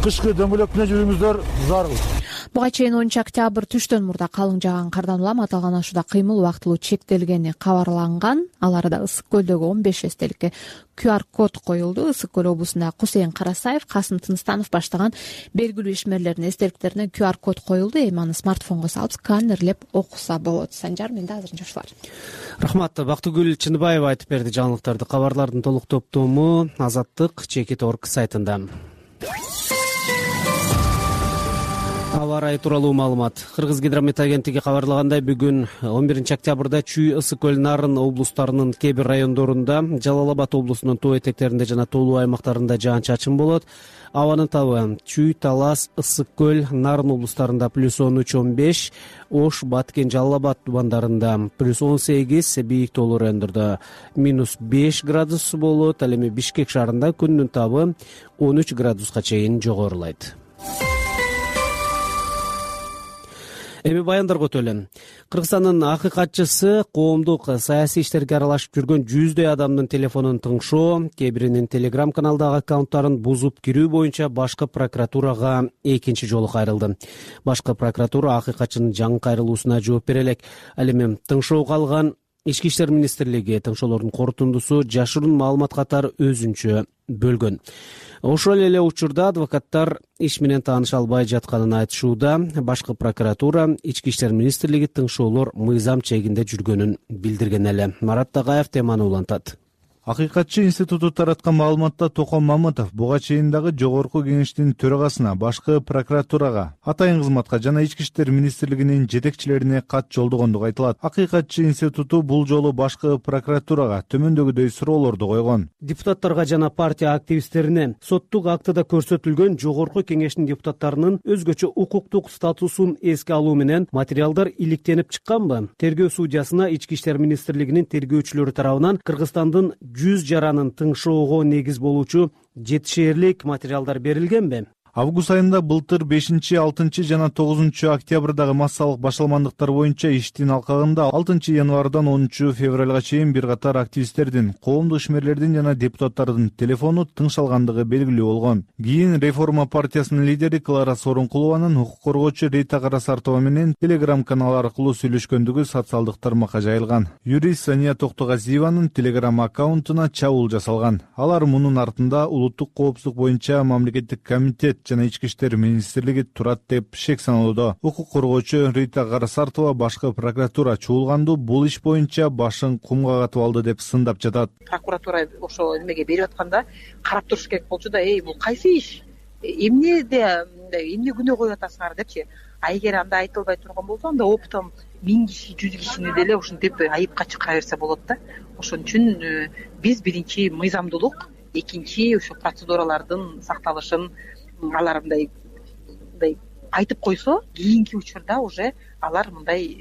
кышкы дөңгөлөк менен жүрүүңүздөр зарыл. Буга чейин 10 октябрь түштөн мурда калың жааган кардан улам аталган ашууда кыймыл убактылуу чектелгени кабарланган. Ал арада Ысык көлдөгү 15 эстеликке QR код коюлду. Ысык көл облусунда Кусейин Карасаев, Касым Тынстанов баштаган белгилүү ишмерлердин эстеликтерине QR код коюлду. Эми аны смартфонго салып, сканерлеп окуса болот. Санжар, менде азырынча ушулар. Рахмат. Бактыгүл Чыныбаева айтып берди жаңылыктарды. Кабарлардын толук топтому Азаттык Чекит.org сайтында. Аба ырайы тууралуу маалымат. Кыргыз гидромет агенттиги кабарлагандай, бүгүн 11 октябрда Чүй, Ысык көл, Нарын облустарынын кээ бир райондорунда, Жалал Абад облусунун тоо этектеринде жана тоолуу аймактарында жаан-чачын болот. Абанын табы Чүй, Талас, Ысык көл, Нарын облустарында +13-15, Ош, Баткен, Жалал Абад тубандарында +18, бийик тоолуу райондордо -5 градус болот. Ал эми Бишкек шаарында күндүн табы 13 градуска чейин жогорулайт. Эми баяндарга өтөлү. Кыргызстандын акыйкатчысы коомдук саясий иштерге аралашып жүргөн 100дөй адамдын телефонун тыңшоо, кээ биринин Telegram каналдагы аккаунттарын бузуп кирүү боюнча башкы прокуратурага экинчи жолу кайрылды. Башкы прокуратура акыйкатчынын жаңы кайрылуусуна жооп бере элек. Ал эми тыңшоого алган Ички иштер министрлиги тыңшоолордун корутундусу жашыруун маалымат катары өзүнчө бөлгөн. Ошол эле учурда адвокаттар иш менен тааныша албай жатканын айтышууда. Башкы прокуратура Ички иштер министрлиги тыңшоолор мыйзам чегинде жүргөнүн билдирген эле. Марат Тагаев теманы улантат. Акыйкатчы институту тараткан маалыматта Токон Мамытов буга чейин дагы жогорку кеңештин төрагасына, башкы прокуратурага, атайын кызматка жана ички иштер министрлигинин жетекчилерине кат жолдогондугу айтылат. Акыйкатчы институту бул жолу башкы прокуратурага төмөндөгүдөй суроолорду койгон. Депутаттарга жана партия активисттерине соттук актыда көрсөтүлгөн жогорку кеңештин депутаттарынын өзгөчө укуктук статусун эске алуу менен материалдар иликтенип чыкканбы? Тергөө судьясына ички иштер министрлигинин тергөөчүлөрү тарабынан Кыргызстандын 100 жаранын тыңшоого негиз болуучу жетишээрлик материалдар берилгенби? Август айында былтыр 5, 6 жана 9 октябрдагы массалык башаламандыктар боюнча иштин алкагында 6 январдан 10 февралга чейин бир катар активисттердин, коомдук ишмерлердин жана депутаттардын телефону тыңшалгандыгы белгилүү болгон. Кийин Реформа партиясынын лидери Клара Сооронкулованын укук коргоочу Рита Карасартова менен Telegram канал аркылуу сүйлөшкөндүгү социалдык тармакка жайылган. Юрист Сания Токтогазиеванын Telegram аккаунтуна чабуул жасалган. Алар мунун артында улуттук коопсуздук боюнча мамлекеттик комитет жана ички иштер министрлиги турат деп шек саналууда. Укук коргоочу Рита Карасартова башкы прокуратура чуулганду бул иш боюнча башын кумга катып алды деп сындап жатат. Прокуратура ошо немеге берип атканда карап туруш керек болчу да, бул кайсы иш? Эмне күнөө коюп атасыңар депчи. А эгер анда айтылбай турган болсо, анда оптом 1000 киши, 100 кишини деле ушинтип айыпка чыгара берсе болот да. Ошон үчүн биз биринчи мыйзамдуулук, экинчи ошо процедуралардын сакталышын алар мындай айтып койсо, кийинки учурда уже алар мындай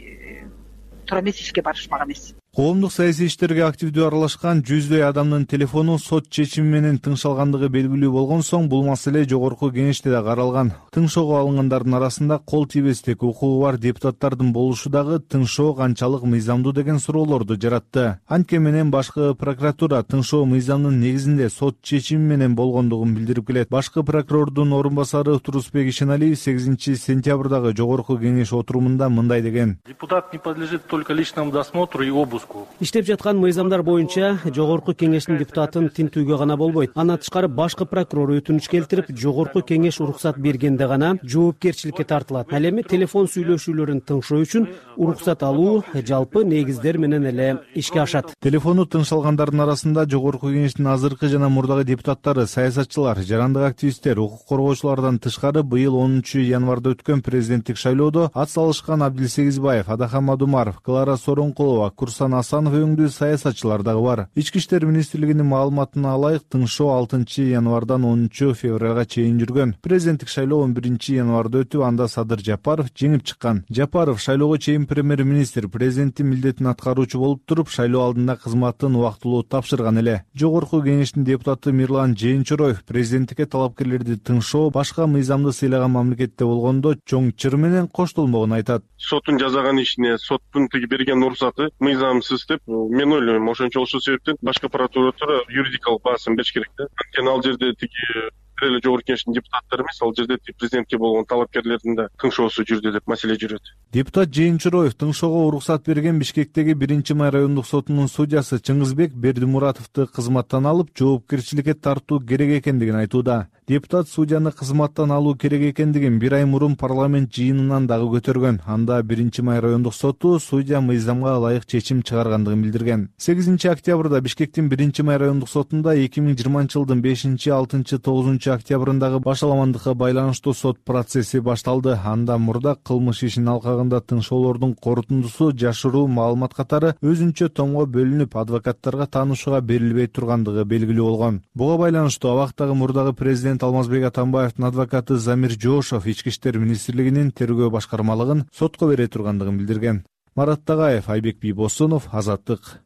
туура эмес ишке барышмак эмес. Коомдук саясий иштерге активдүү аралашкан 100дөй адамдын телефону сот чечими менен тыңшалгандыгы белгилүү болгон соң, бул маселе жогорку кеңеште да каралган. Тыңшоого алынгандардын арасында кол тийбестик укугу бар депутаттардын болушу дагы тыңшоо канчалык мыйзамдуу деген суроолорду жаратты. Анткени менен башкы прокуратура тыңшоо мыйзамдын негизинде сот чечими менен болгондугун билдирип келет. Башкы прокурордун орун басары Турусбек Ишеналиев 8 сентябрдагы жогорку кеңеш отурумунда мындай деген. Депутат не подлежит только личному досмотру и обыску. Иштеп жаткан мыйзамдар боюнча Жогорку Кеңештин депутатын тинтүүгө гана болбойт. Андан тышкары башкы прокурор өтүнүч келтирип, Жогорку Кеңеш уруксат бергенде гана жоопкерчиликке тартылат. Ал эми телефон сүйлөшүүлөрүн тыңшоо үчүн уруксат алуу жалпы негиздер менен эле ишке ашат. Телефону тыңшалгандардын арасында Жогорку Кеңештин азыркы жана мурдагы депутаттары, саясатчылар, жарандык активисттер, укук коргоочулардан тышкары быйыл 10 январда өткөн президенттик шайлоодо ат салышкан Абдилсегизбаев, Адахан Мадумаров, Клара Сооронкулова, Курсан Асанов өңдүү саясатчылар дагы бар. Ички иштер министрлигинин маалыматына алайык, тыңшоо 6 январдан 10 февралга чейин жүргөн. Президенттик шайлоо 11 январда өтүп, анда Садыр Жапаров жеңип чыккан. Жапаров шайлоого чейин премьер-министр, президенттин милдетин аткаруучу болуп туруп, шайлоо алдында кызматын убактылуу тапшырган эле. Жогорку Кеңештин депутаты Мирлан Жээнчороев президенттикке талапкерлерди тыңшоо башка мыйзамды сыйлаган мамлекетте болгондо чоң чыр менен коштолмогонун айтат. Соттун жазаган ишине соттун тиги берген уруксаты мыйзамсыз деп мен ойлойм. Ошончо ошол себептен башкы прокуратура юридикалык баасын бериш керек да. Анткени ал жерде тиги эле Жогорку Кеңештин депутаттары эмес, ал жерде президентке болгон талапкерлердин да тыңшоосу жүрдү деп маселе жүрөт. Депутат Жээнчороев тыңшоого уруксат берген Бишкектеги 1-май райондук сотунун судьясы Чыңгызбек Бердимуратовду кызматтан алып, жоопкерчиликке тартуу керек экендигин айтууда. Депутат судьяны кызматтан алуу керек экендигин 1 ай мурун парламент жыйынынан дагы көтөргөн. Анда 1-май райондук соту судья мыйзамга ылайык чечим чыгаргандыгын билдирген. 8 октябрда Бишкектин 1-май райондук сотунда 2020-жылдын 5, 6, 9 октябрындагы башаламандыкка байланыштуу сот процесси башталды. Анда мурда кылмыш ишинин алкагында тыңшоолордун корутундусу жашыруу маалымат катары өзүнчө томго бөлүнүп, адвокаттарга таанышууга берилбей тургандыгы белгилүү болгон. Буга байланыштуу абактагы мурдагы президент Алмазбек Атамбаевдин адвокаты Замир Жоошов Ички иштер министрлигинин тергөө башкармалыгын сотко бере тургандыгын билдирген. Марат Тагаев, Айбек Бийбосунов, Азаттык.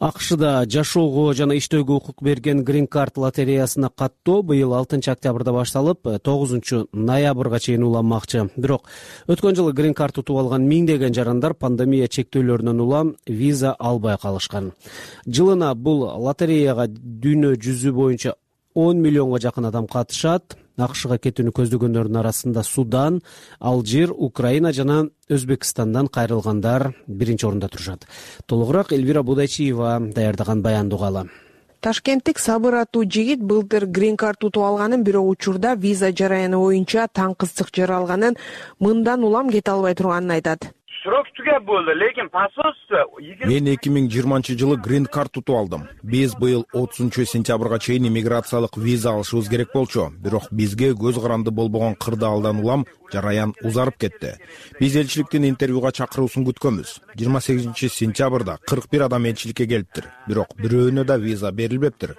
АКШда жашоого жана иштөөгө укук берген Green Card лотереясына каттоо быйыл 6 октябрда башталып, 9 ноябрга чейин уланмакчы. Бирок өткөн жылы Green Card утуп алган миңдеген жарандар пандемия чектөөлөрүнөн улам виза албай калышкан. Жылына бул лотереяга дүйнө жүзү боюнча 10 миллионго жакын адам катышат. АКШга кетүүнү көздөгөндөрдүн арасында Судан, Алжир, Украина жана Өзбекстандан кайрылгандар биринчи орунда турушат. Толугураак Элвира Будайчиева даярдаган баянды угалы. Ташкенттик Сабыр аттуу жигит былтыр Green Card утуп алганын, бирок учурда виза жараяны боюнча таң кызык жаралганын, мындан улам кете албай турганын айтат. Срок түгөп болду, лекин посольство Мен 2020-жылы Green Card утуп алдым. Биз быйыл 30 сентябрга чейин иммиграциялык виза алышыбыз керек болчу. Бирок бизге көз каранды болбогон кырдаалдан улам жараян узарып кетти. Биз элчиликтин интервьюга чакыруусун күткөнбүз. 28 сентябрда 41 адам элчиликке келиптир. Бирок бирөөнө да виза берилбептир.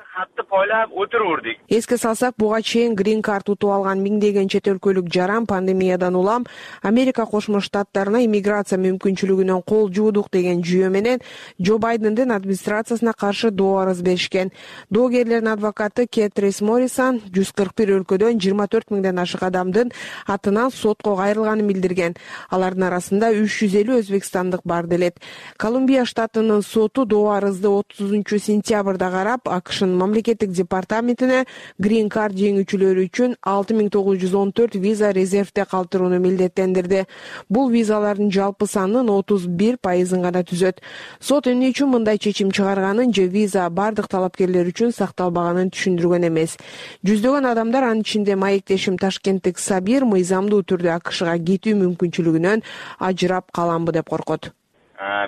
ойлап отурурдук. Эске салсак, буга чейин Green Card утуп алган миңдеген чет өлкөлүк жаран пандемиядан улам Америка Кошмо Штаттарына иммиграция мүмкүнчүлүгүнөн кол жуудук деген жүйө менен Джо Байдендин администрациясына каршы доо арыз беришкен. Доогерлердин адвокаты Кетрис Моррисон 141 өлкөдөн 24 миңден ашык адамдын атынан сотко кайрылганын билдирген. Алардын арасында 350 өзбекстандык бар делет. Колумбия штатынын соту доо арызды 30 сентябрда карап, АКШнын мамлекеттик департаментине Green Card жеңүүчүлөрү үчүн 6914 виза резервде калтырууну милдеттендирди. Бул визалардын жалпы санынын 31% гана түзөт. Сот эмне үчүн мындай чечим чыгарганын же виза бардык талапкерлер үчүн сакталбаганын түшүндүргөн эмес. Жүздөгөн адамдар, анын ичинде маектешим Ташкенттик Сабир, мыйзамдуу түрдө АКШга кетүү мүмкүнчүлүгүнөн ажырап каламбы деп коркот.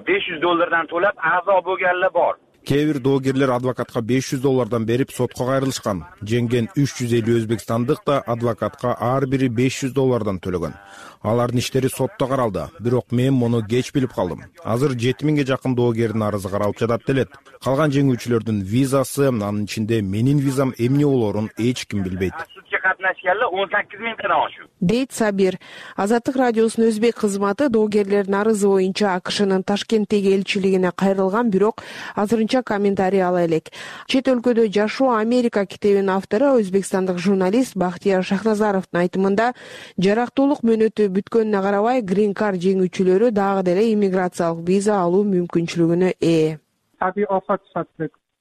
$500 төлөп аза болгонлар бар. Кээ бир доогерлер адвокатка $500 берип сотко кайрылышкан. Жеңген 350 өзбекстандык да адвокатка ар бири $500 төлөгөн. Алардын иштери сотто каралды, бирок мен муну кеч билип калдым. Азыр 7000ге жакын доогердин арызы каралып жатат делет. Калган жеңүүчүлөрдүн визасы, анын ичинде менин визам эмне болоорун эч ким билбейт. Катнашкандар 18 миңден ашык. Дейт Сабир. Азаттык радиосунун өзбек кызматы доогерлердин арызы боюнча АКШнын Ташкенттеги элчилигине кайрылган, бирок азырынча комментарий ала элек. Чет өлкөдө жашоо Америка китебинин автору, өзбекстандык журналист Бахтияр Шахназаровдун айтымында, жарактуулук мөөнөтү бүткөнүнө карабай Green Card жеңүүчүлөрү дагы деле иммиграциялык виза алуу мүмкүнчүлүгүнө ээ.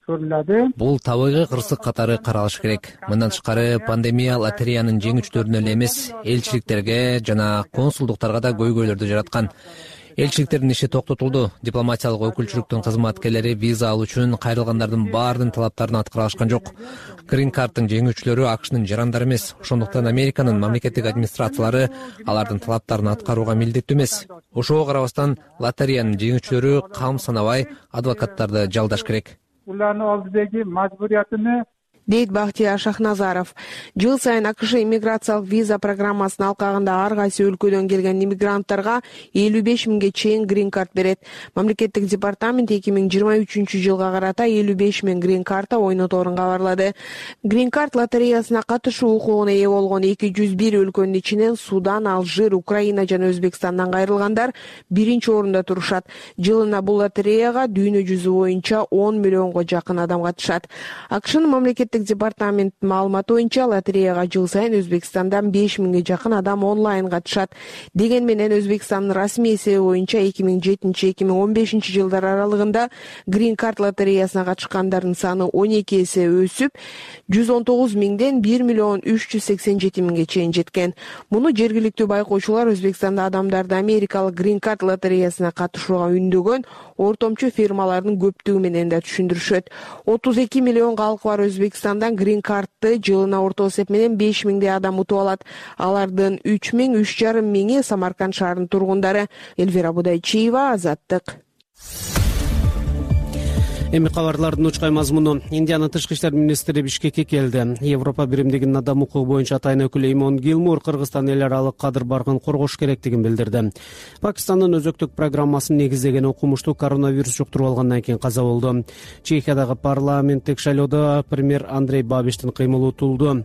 көрүлөдү. Бул табигый кырсык катары каралыш керек. Мындан тышкары пандемия лотереянын жеңүүчүлөрүнө эле эмес, элчиликтерге жана консулдуктарга да көйгөйлөрдү жараткан. Элчиликтердин иши токтотулду. Дипломатиялык өкүлчүлүктүн кызматкерлери виза алуу үчүн кайрылгандардын баарынын талаптарын аткара алышкан жок. Green Card'тын жеңүүчүлөрү АКШнын жарандары эмес. Ошондуктан Американын мамлекеттик администрациялары алардын талаптарын аткарууга милдеттүү эмес. Ошого карабастан лотереянын жеңүүчүлөрү кам санабай адвокаттарды жалдаш керек. Улардын алдыдагы мажбуриятыны дейт Бактияр Шахназаров. Жыл сайын АКШ иммиграциялык виза программасынын алкагында ар кайсы өлкөдөн келген иммигранттарга 55 миңге чейин Green Card берет. Мамлекеттик департамент 2023 жылга карата 55 миң Green Card'а ойноторун кабарлады. Green Card лотереясына катышуу укугуна ээ болгон 201 өлкөнүн ичинен Судан, Алжир, Украина жана Өзбекстандан кайрылгандар биринчи орунда турушат. Жылына бул лотереяга дүйнө жүзү боюнча 10 миллионго жакын адам катышат. АКШнын мамлекеттик департаменттин маалыматы боюнча лотереяга жыл сайын Өзбекстандан 5 миңге жакын адам онлайн катышат. Деген менен Өзбекстандын расмий эсеби боюнча 2007-2015 жылдар аралыгында Green Card лотереясына катышкандардын саны 12 эсе өсүп, 119 миңден 1 миллион 387 миңге чейин жеткен. Муну жергиликтүү байкоочулар Өзбекстанда адамдарды Америкалык Green Card лотереясына катышууга үндөгөн ортомчу фирмалардын көптүгү менен да түшүндүрүшөт. 32 миллион калкы бар Өзбекстандан Green Card'ты жылына орто эсеп менен 5 миңдей адам утуп алат. Алардын 3 миң, 3,5 миңи Самарканд шаарынын тургундары. Эльвира Будайчиева, Азаттык. Эми кабарлардын учкай мазмуну. Индиянын тышкы иштер министри Бишкекке келди. Европа биримдигинин адам укугу боюнча атайын өкүлү Эймон Гилмур Кыргызстан эл аралык кадыр баргын коргош керектигин билдирди. Пакистандын өзөктүк программасын негиздеген окумуштуу коронавирус жуктуруп алгандан кийин каза болду. Чехиядагы парламенттик шайлоодо премьер Андрей Бабиштин кыймылы утулду.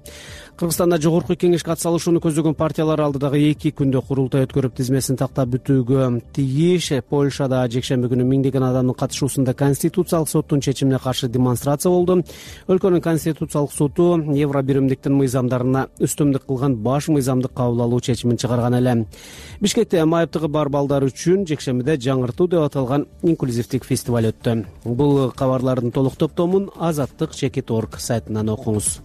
Кыргызстанда жогорку кеңешке атсалышууну көздөгөн партиялар алдыдагы 2 күндө курултай өткөрүп тизмесин тактап бүтүүгө тийиш. Польшада жекшемби күнү миңдеген адамдын катышуусунда конституциялык соттун чечимине каршы демонстрация болду. Өлкөнүн конституциялык соту Евро биримдиктин мыйзамдарына үстөмдүк кылган баш мыйзамдык кабыл алуу чечимин чыгарган эле. Бишкекте майыптыгы бар балдар үчүн жекшембиде жаңыртуу деп аталган инклюзивдик фестиваль өттү. Бул кабарлардын толук топтомун Азаттык.org сайтынан окуңуз.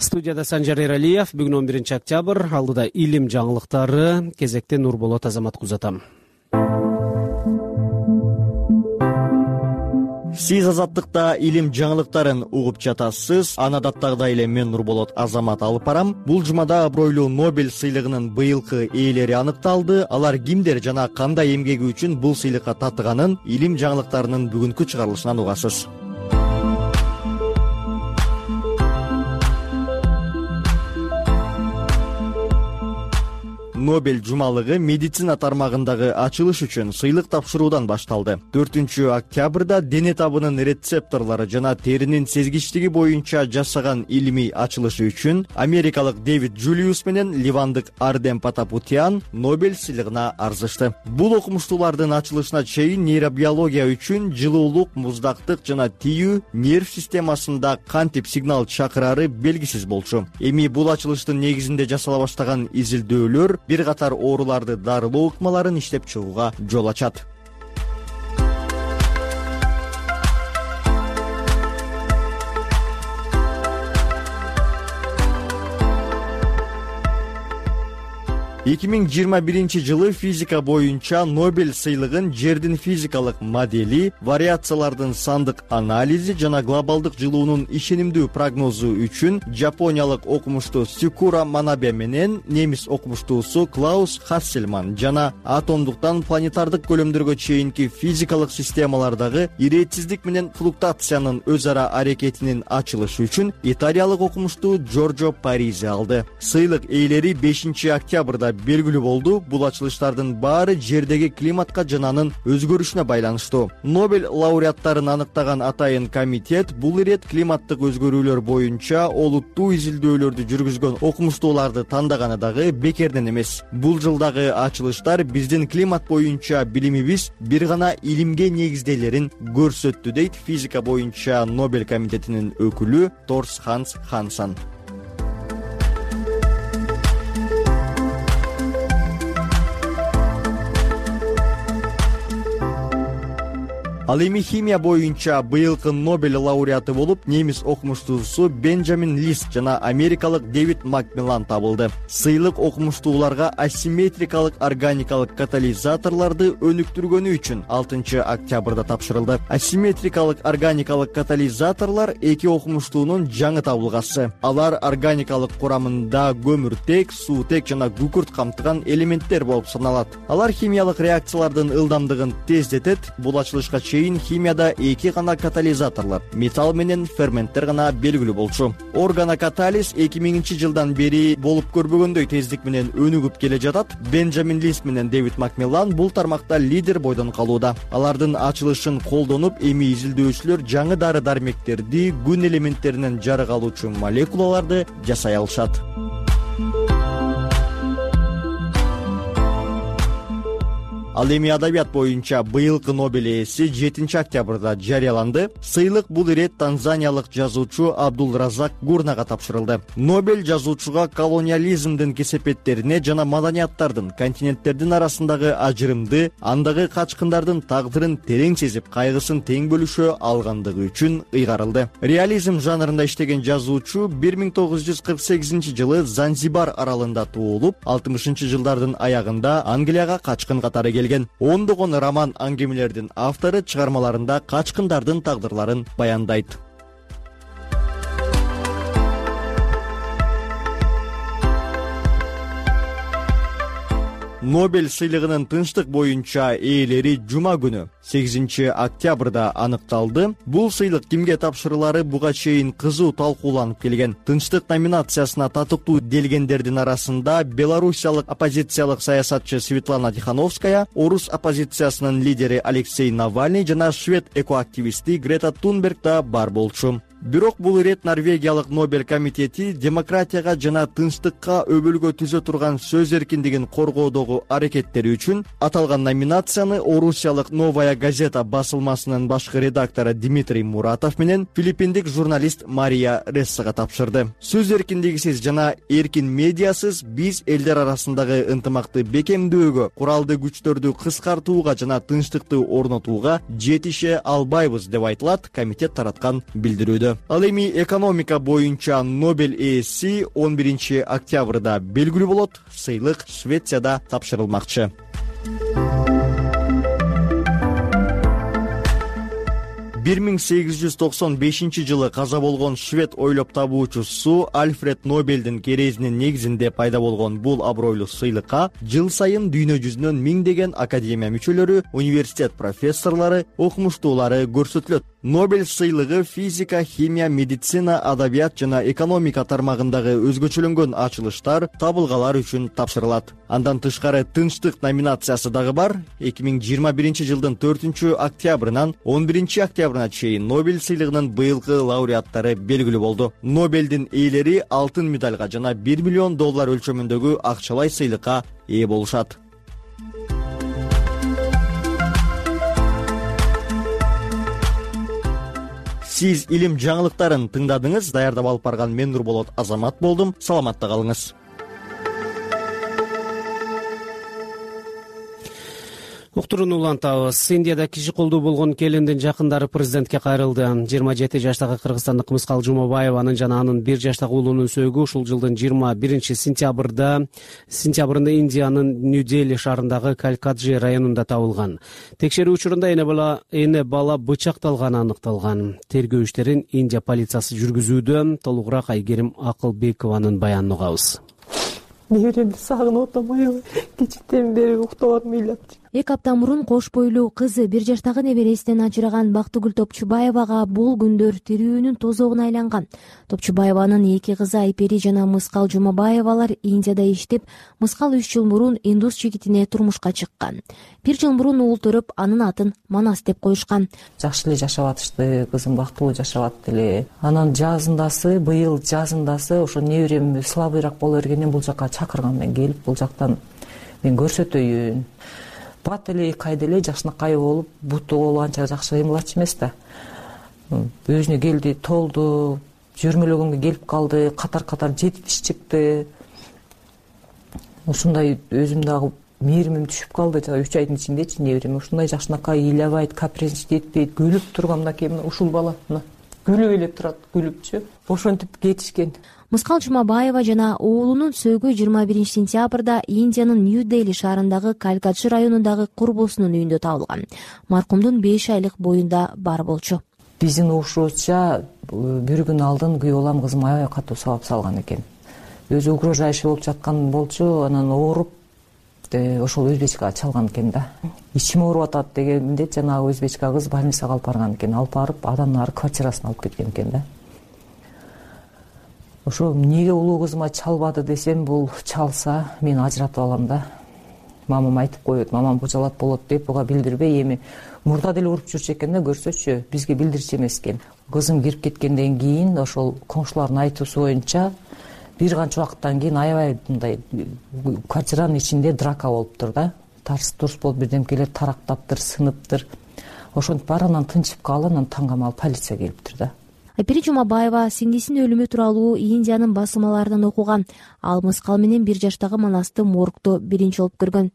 Студияда Санжар Эралиев. Бүгүн 11 октябрь. Алдыда илим жаңылыктары. Кезекте Нурболот Азамат узатам. Сиз Азаттыкта илим жаңылыктарын угуп жатасыз. Аны адаттагыдай эле мен Нурболот Азамат алып барам. Бул жумада абройлуу Нобель сыйлыгынын быйылкы ээлери аныкталды. Алар кимдер жана кандай эмгеги үчүн бул сыйлыкка татыганын илим жаңылыктарынын бүгүнкү чыгарылышынан угасыз. Нобель жумалыгы медицина тармагындагы ачылыш үчүн сыйлык тапшыруудан башталды. 4 октябрда дене табынын рецепторлору жана теринин сезгичтиги боюнча жасаган илимий ачылышы үчүн америкалык Дэвид Джулиус менен ливандык Ардем Потапутян Нобель сыйлыгына арзышты. Бул окумуштуулардын ачылышына чейин нейробиология үчүн жылуулук, муздактык жана тиүү нерв системасында кантип сигнал чакырары белгисиз болчу. Эми бул ачылыштын негизинде жасала баштаган изилдөөлөр бир катар ооруларды дарылоо ыкмаларын иштеп чыгууга жол ачат. 2021 жылы физика боюнча Нобель сыйлыгын жердин физикалык модели, вариациялардын сандык анализи жана глобалдык жылуунун ишенимдүү прогнозу үчүн жапониялык окумуштуу Сикура Манабе менен немис окумуштуусу Клаус Хассельман жана атомдуктан планетардык көлөмдөргө чейинки физикалык системалардагы иретсиздик менен флуктуациянын өз ара аракетинин ачылышы үчүн италиялык окумуштуу Джорджо Паризи алды. Сыйлык ээлери 5 октябрда белгилүү болду. Бул ачылыштардын баары жердеги климатка жана анын өзгөрүшүнө байланыштуу. Нобель лауреаттарын аныктаган атайын комитет бул ирет климаттык өзгөрүүлөр боюнча олуттуу изилдөөлөрдү жүргүзгөн окумуштууларды тандаганы дагы бекерден эмес. Бул жылдагы ачылыштар биздин климат боюнча билимибиз бир гана илимге негизделерин көрсөттү, дейт физика боюнча Нобель комитетинин өкүлү Торс Ханс Хансан. Ал эми химия боюнча быйылкы Нобель лауреаты болуп немис окумуштуусу Бенджамин Лист жана америкалык Дэвид Макмиллан табылды. Сыйлык окумуштууларга асимметрикалык органикалык катализаторлорду өнүктүргөнү үчүн 6 октябрда тапшырылды. Асимметрикалык органикалык катализаторлор эки окумуштуунун жаңы табылгасы. Алар органикалык курамында көмүртек, суутек жана күкүрт камтыган элементтер болуп саналат. Алар химиялык реакциялардын ылдамдыгын тездетет. Бул ачылышка чейин химияда эки гана катализаторлор, металл менен ферменттер гана белгилүү болчу. Органокатализ 2000 жылдан бери болуп көрбөгөндөй тездик менен өнүгүп келе жатат. Бенджамин Лист менен Дэвид Макмиллан бул тармакта лидер бойдон калууда. Алардын ачылышын колдонуп, эми изилдөөчүлөр жаңы дары-дармектерди, күн элементтеринен жарык алуучу молекулаларды жасай алышат. Ал эми адабият боюнча быйылкы Нобель ээси 7 октябрда жарыяланды. Сыйлык бул ирет танзаниялык жазуучу Абдулразак Гурнага тапшырылды. Нобель жазуучуга колониализмдин кесепеттерине жана маданияттардын, континенттердин арасындагы ажырымды, андагы качкындардын тагдырын терең сезип, кайгысын тең бөлүшө алгандыгы үчүн ыйгарылды. Реализм жанрында иштеген жазуучу 1948 жылы Занзибар аралында туулуп, 60 жылдардын аягында Англияга качкын катары келген. Ондогон роман аңгемелердин автору чыгармаларында качкындардын тагдырларын баяндайт. Нобель сыйлыгынын тынчтык боюнча ээлери жума күнү 8 октябрда аныкталды. Бул сыйлык кимге тапшырылары буга чейин кызуу талкууланып келген. Тынчтык номинациясына татыктуу делгендердин арасында белоруссиялык оппозициялык саясатчы Светлана Тихановская, орус оппозициясынын лидери Алексей Навальный жана швед экоактивисти Грета Тунберг да бар болчу. Бирок бул ирет Норвегиялык Нобель комитети демократияга жана тынчтыкка өбөлгө түзө турган сөз эркиндигин коргоодогу аракеттери үчүн аталган номинацияны орусиялык Новая газета басылмасынын башкы редактору Дмитрий Муратов менен филиппиндик журналист Мария Рессага тапшырды. Сөз эркиндигисиз жана эркин медиасыз биз элдер арасындагы ынтымакты бекемдөөгө, куралдуу күчтөрдү кыскартууга жана тынчтыкты орнотууга жетише албайбыз деп айтылат комитет тараткан билдирүүдө. Ал эми экономика боюнча Нобель ээси 11 октябрда белгилүү болот. Сыйлык Швецияда тапшырылмакчы. Бир 1895 жылы каза болгон швед ойлоп табуучусу Альфред Нобельдин керезинин негизинде пайда болгон бул абройлуу сыйлыкка жыл сайын дүйнө жүзүнөн миңдеген академия мүчөлөрү, университет профессорлору, окумуштуулары көрсөтүлөт. Нобель сыйлыгы физика, химия, медицина, адабият жана экономика тармагындагы өзгөчөлөнгөн ачылыштар, табылгалар үчүн тапшырылат. Андан тышкары тынчтык номинациясы дагы бар. 2021 жылдын 4 октябрынан 11 октябрына чейин Нобель сыйлыгынын быйылкы лауреаттары белгилүү болду. Нобельдин ээлери алтын медальга жана $1 миллион өлчөмүндөгү акчалай сыйлыкка ээ болушат. Сиз илим жаңылыктарын тыңдадыңыз. Даярдап алып барган мен Нурболот Азамат болдум. Саламатта калыңыз. Уктурууну улантабыз. Индияда киши колдуу болгон келиндин жакындары президентке кайрылды. 27 жаштагы кыргызстандык Мыскал Жумабаеванын жана анын 1 жаштагы уулунун сөөгү ушул жылдын 21 сентябрында Индиянын Нью-Дели шаарындагы Калькаджи районунда табылган. Текшерүү учурунда эне бала бычакталганы аныкталган. Тергөө иштерин Индия полициясы жүргүзүүдө. Толугураак Айгерим Акылбекованын баянын угабыз. Неберемди сагынып атам, аябай кичиктен бери уктап атам. 2 апта мурун кош бойлуу кызы 1 жаштагы небересинен ажыраган Бактыгүл Топчубаевага бул күндөр тирүүнүн тозогуна айланган. Топчубаеванын 2 кызы Айпери жана Мыскал Жумабаевалар Индияда иштеп, Мыскал 3 жыл мурун индус жигитине турмушка чыккан. 1 жыл мурун уул төрөп, анын атын Манас деп коюшкан. Жакшы эле жашап атышты, кызым бактылуу жашап атты эле. Анан быйыл жазындасы ошо неберем слабыйраак боло бергенден бул жака чакырган, мен келип бул жактан мен көрсөтөйүн. Бат эле кайда эле жакшынакай болуп, буту болуп анча жакшы кыймылчу эмес да. Өзүнө келди, толду, жүрмөлөгөнгө келип калды, катар жетиш чыкты. Ушундай өзүм дагы мээримим түшүп калды. 3 айдын ичиндечи неберем ушундай жакшынакай ыйлабайт, капризничать этпейт, күлүп турган мынакей мына ушул бала мына күлүп эле турат, күлүпчү. Ошентип кетишкен. Мыскал Жумабаева жана уулунун сөөгү 21 сентябрда Индиянын Нью-Дели шаарындагы Калькатчы районундагы курбусунун үйүндө табылган. Маркумдун 5 айлык боюнда бар болчу. Биздин угушубузча бир күн алдын күйөө балам кызым аябай катуу сабап салган экен. Өзү угрожающий болуп жаткан болчу, анан ооруп ошол өзбечкага чалган экен да. Ичим ооруп атат дегенде жанагы өзбечка кыз больницага алып барган экен. Алып барып андан ары квартирасына алып кеткен экен да. Ошо эмнеге улуу кызыма чалбады десем, бул чалса мен ажыратып алам да. Мамам айтып коет, мамам кужалат болот деп буга билдирбей эми мурда деле уруп жүрчү экен да, көрсөчү, бизге билдирчү эмес экен. Кызым кирип кеткенден кийин ошол коңшулардын айтуусу боюнча бир канча убакыттан кийин аябай мындай квартиранын ичинде драка болуптур да. Тарс турс болуп бирдемкелер тарактаптыр, сыныптыр. Ошентип бар, анан тынчып калып, анан таңгамал полиция келиптир да. Айпери Жумабаева сиңдисинин өлүмү тууралуу Индиянын басылмаларынан окуган. Ал мыскал менен 1 жаштагы Манасты моргдо биринчи болуп көргөн.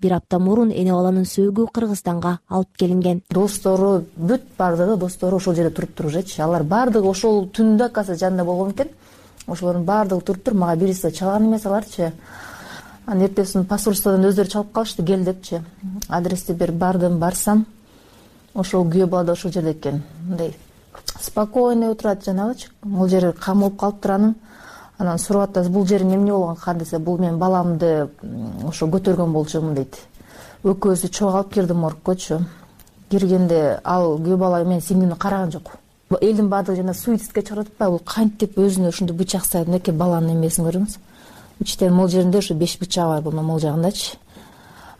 1 апта мурун эне баланын сөөгү Кыргызстанга алып келинген. Достору бүт бардыгы достору ошол жерде туруптур уже. Алар бардыгы ошол түндө каса жанында болгон экен. Ошолордун бардыгы туруптур. Мага бириси чалган эмес аларчы. Анан эртесин посольстводон өздөрү чалып калышты, кел депчи. Адрести берип бардым, барсам ошол күйөө бала да ошол жерде экен. Мындай спокойно отурат жанагычы. Бул жери камылып калыптыр анын. Анан сурап атат, бул жериң эмне болгон ка десе, бул мен баламды ошо көтөргөн болчумун дейт. Экөөсү чогуу алып кирди моргкочу. Киргенде ал күйөө бала мен сиңдимди караган жок. Элдин баардыгы жана суицидке чыгарып атпайбы, бул кантип өзүнө ушундай бычак салып, мынакей баланын эмесин көрүңүз. Иштен могул жеринде ошо 5 бычагы бар бул могул жагындачы.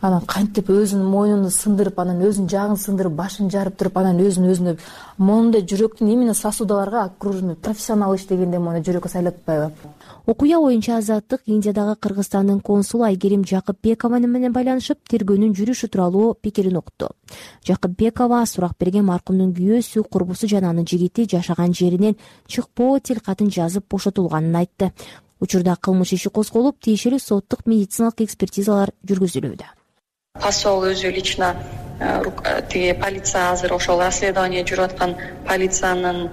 Анан кантип өзүнүн мойнун сындырып, анан өзүнүн жагын сындырып, башын жарып туруп, анан өзүнө мондай жүрөктүн именно сосудаларга окружный профессионал иштегенде мону жүрөккө сайлап атпайбы. Окуя боюнча Азаттык Индиядагы Кыргызстандын консулу Айгерим Жакыпбекова менен байланышып, тергөөнүн жүрүшү тууралуу пикирин укту. Жакыпбекова сурак берген маркумдун күйөөсү, курбусу жана анын жигити жашаган жеринен чыкпоо тилкатын жазып бошотулганын айтты. Учурда кылмыш иши козголуп, тиешелүү соттук медициналык экспертизалар жүргүзүлүүдө. Посол өзү лично тиги полиция азыр ошол расследование жүрүп аткан полициянын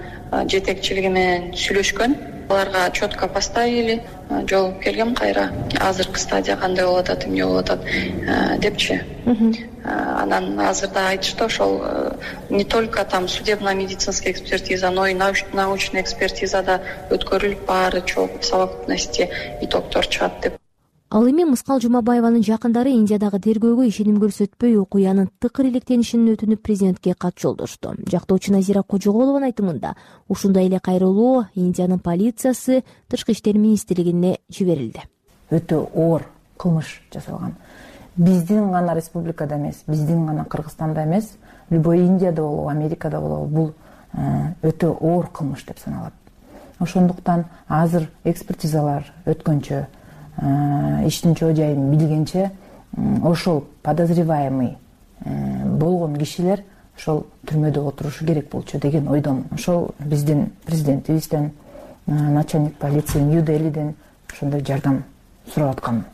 жетекчилиги менен сүйлөшкөн. Аларга четко поставили, жооп келгем кайра. Азыркы стадия кандай болуп атат, эмне болуп атат депчи. Анан азырда айтышты, ошол не только там судебно-медицинская экспертиза, но и научная экспертиза да өткөрүлүп, баары чогуу в совокупности итогдор чыгат деп. Ал эми Мыскал Жумабаеванын жакындары Индиядагы тергөөгө ишеним көрсөтпөй, окуянын тыкыр иликтенишин өтүнүп президентке кат жолдошту. Жактоочу Назира Кожоголованын айтымында, ушундай эле кайрылуу Индиянын полициясы Тышкы иштер министрлигине жиберилди. Өтө оор кылмыш жасалган. Биздин гана республикада эмес, биздин гана Кыргызстанда эмес, любой Индияда болобу, Америкада болобу, бул өтө оор кылмыш деп саналат. Ошондуктан азыр экспертизалар өткөнчө, иштин чоо жайын билгенче, ошол подозреваемый болгон кишилер ошол түрмөдө отурушу керек болчу деген ойдомун. Ошол биздин президентибизден, начальник полиции Нью-Делиден ошондой жардам сурап аткан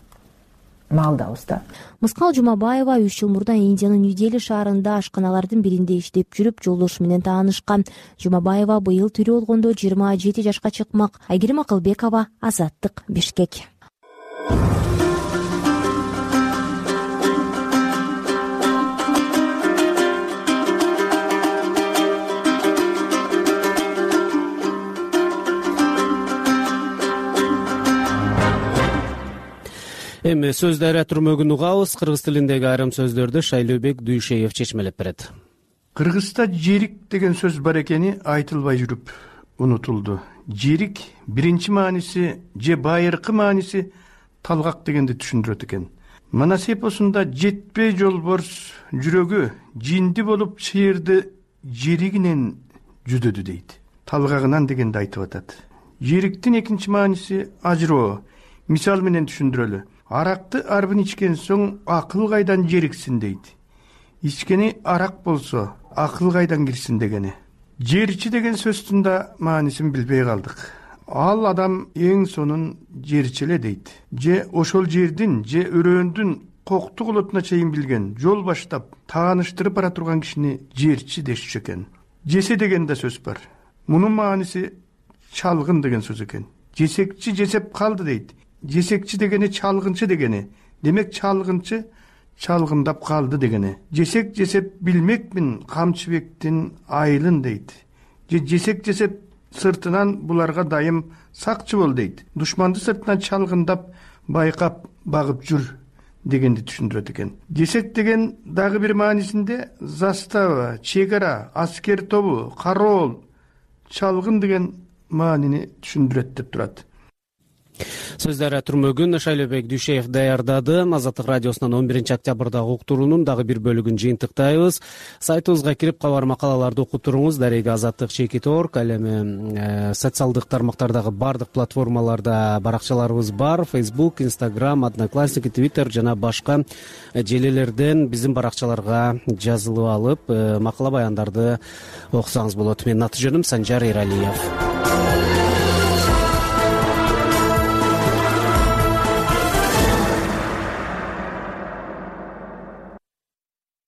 маалдабыз да. Мыскал Жумабаева 3 жыл мурда Индиянын Нью-Дели шаарында ашканалардын биринде иштеп жүрүп, жолдошу менен таанышкан. Жумабаева быйыл тирүү болгондо 27 жашка чыкмак. Айгерим Акылбекова, Азаттык, Бишкек. Эми сөз дарыя түрмөгүн угабыз. Кыргыз тилиндеги айрым сөздөрдү Шайлообек Дүйшеев чечмелеп берет. Кыргызста жерик деген сөз бар экени айтылбай жүрүп унутулду. Жерик биринчи мааниси же байыркы мааниси талгак дегенди түшүндүрөт экен. Манас эпосунда жетпей жолборс жүрөгү жинди болуп чыйырды жеригинен жүдөдү дейт. Талгагынан дегенди айтып атат. Жериктин экинчи мааниси ажыроо. Мисал менен түшүндүрөлү. Аракты арбын ичкен соң акыл кайдан жериксин дейт. Ичкени арак болсо акыл кайдан кирсин дегени. Жерчи деген сөздүн да маанисин билбей калдык. Ал адам эң сонун жерчи эле дейт. Же ошол жердин же өрөөндүн коктук олотуна чейин билген, жол баштап тааныштырып бара турган кишини жерчи дешчү экен. Жесе деген да сөз бар. Мунун мааниси чалгын деген сөз экен. Жесекчи жесеп калды дейт. Жесекчи дегени чалгынчы дегени. Демек чалгынчы чалгындап калды дегени. Жесек жесеп билмекмин Камчыбектин айылын дейт. Жесек жесеп сыртынан буларга дайым сакчы бол дейт. Душманды сыртынан чалгындап байкап багып жүр дегенди түшүндүрөт экен. Жесек деген дагы бир маанисинде застава, чек ара, аскер тобу, кароол, чалгын деген маанини түшүндүрөт деп турат. Сөздөрү Турмөгүн Шайлообек Дүйшеев даярдады. Азаттык радиосунан 11-октябрдагы уктуруунун дагы бир бөлүгүн жыйынтыктайбыз. Сайтыбызга кирип кабар макалаларды окуп туруңуз. Дареги Азаттык.org, ал эми социалдык тармактардагы бардык платформаларда баракчаларыбыз бар. Facebook, Instagram, Одноклассники, Twitter жана башка желелерден биздин баракчаларга жазылып алып, макала баяндарды окусаңыз болот. Менин аты жөнүм Санжар Эралиев.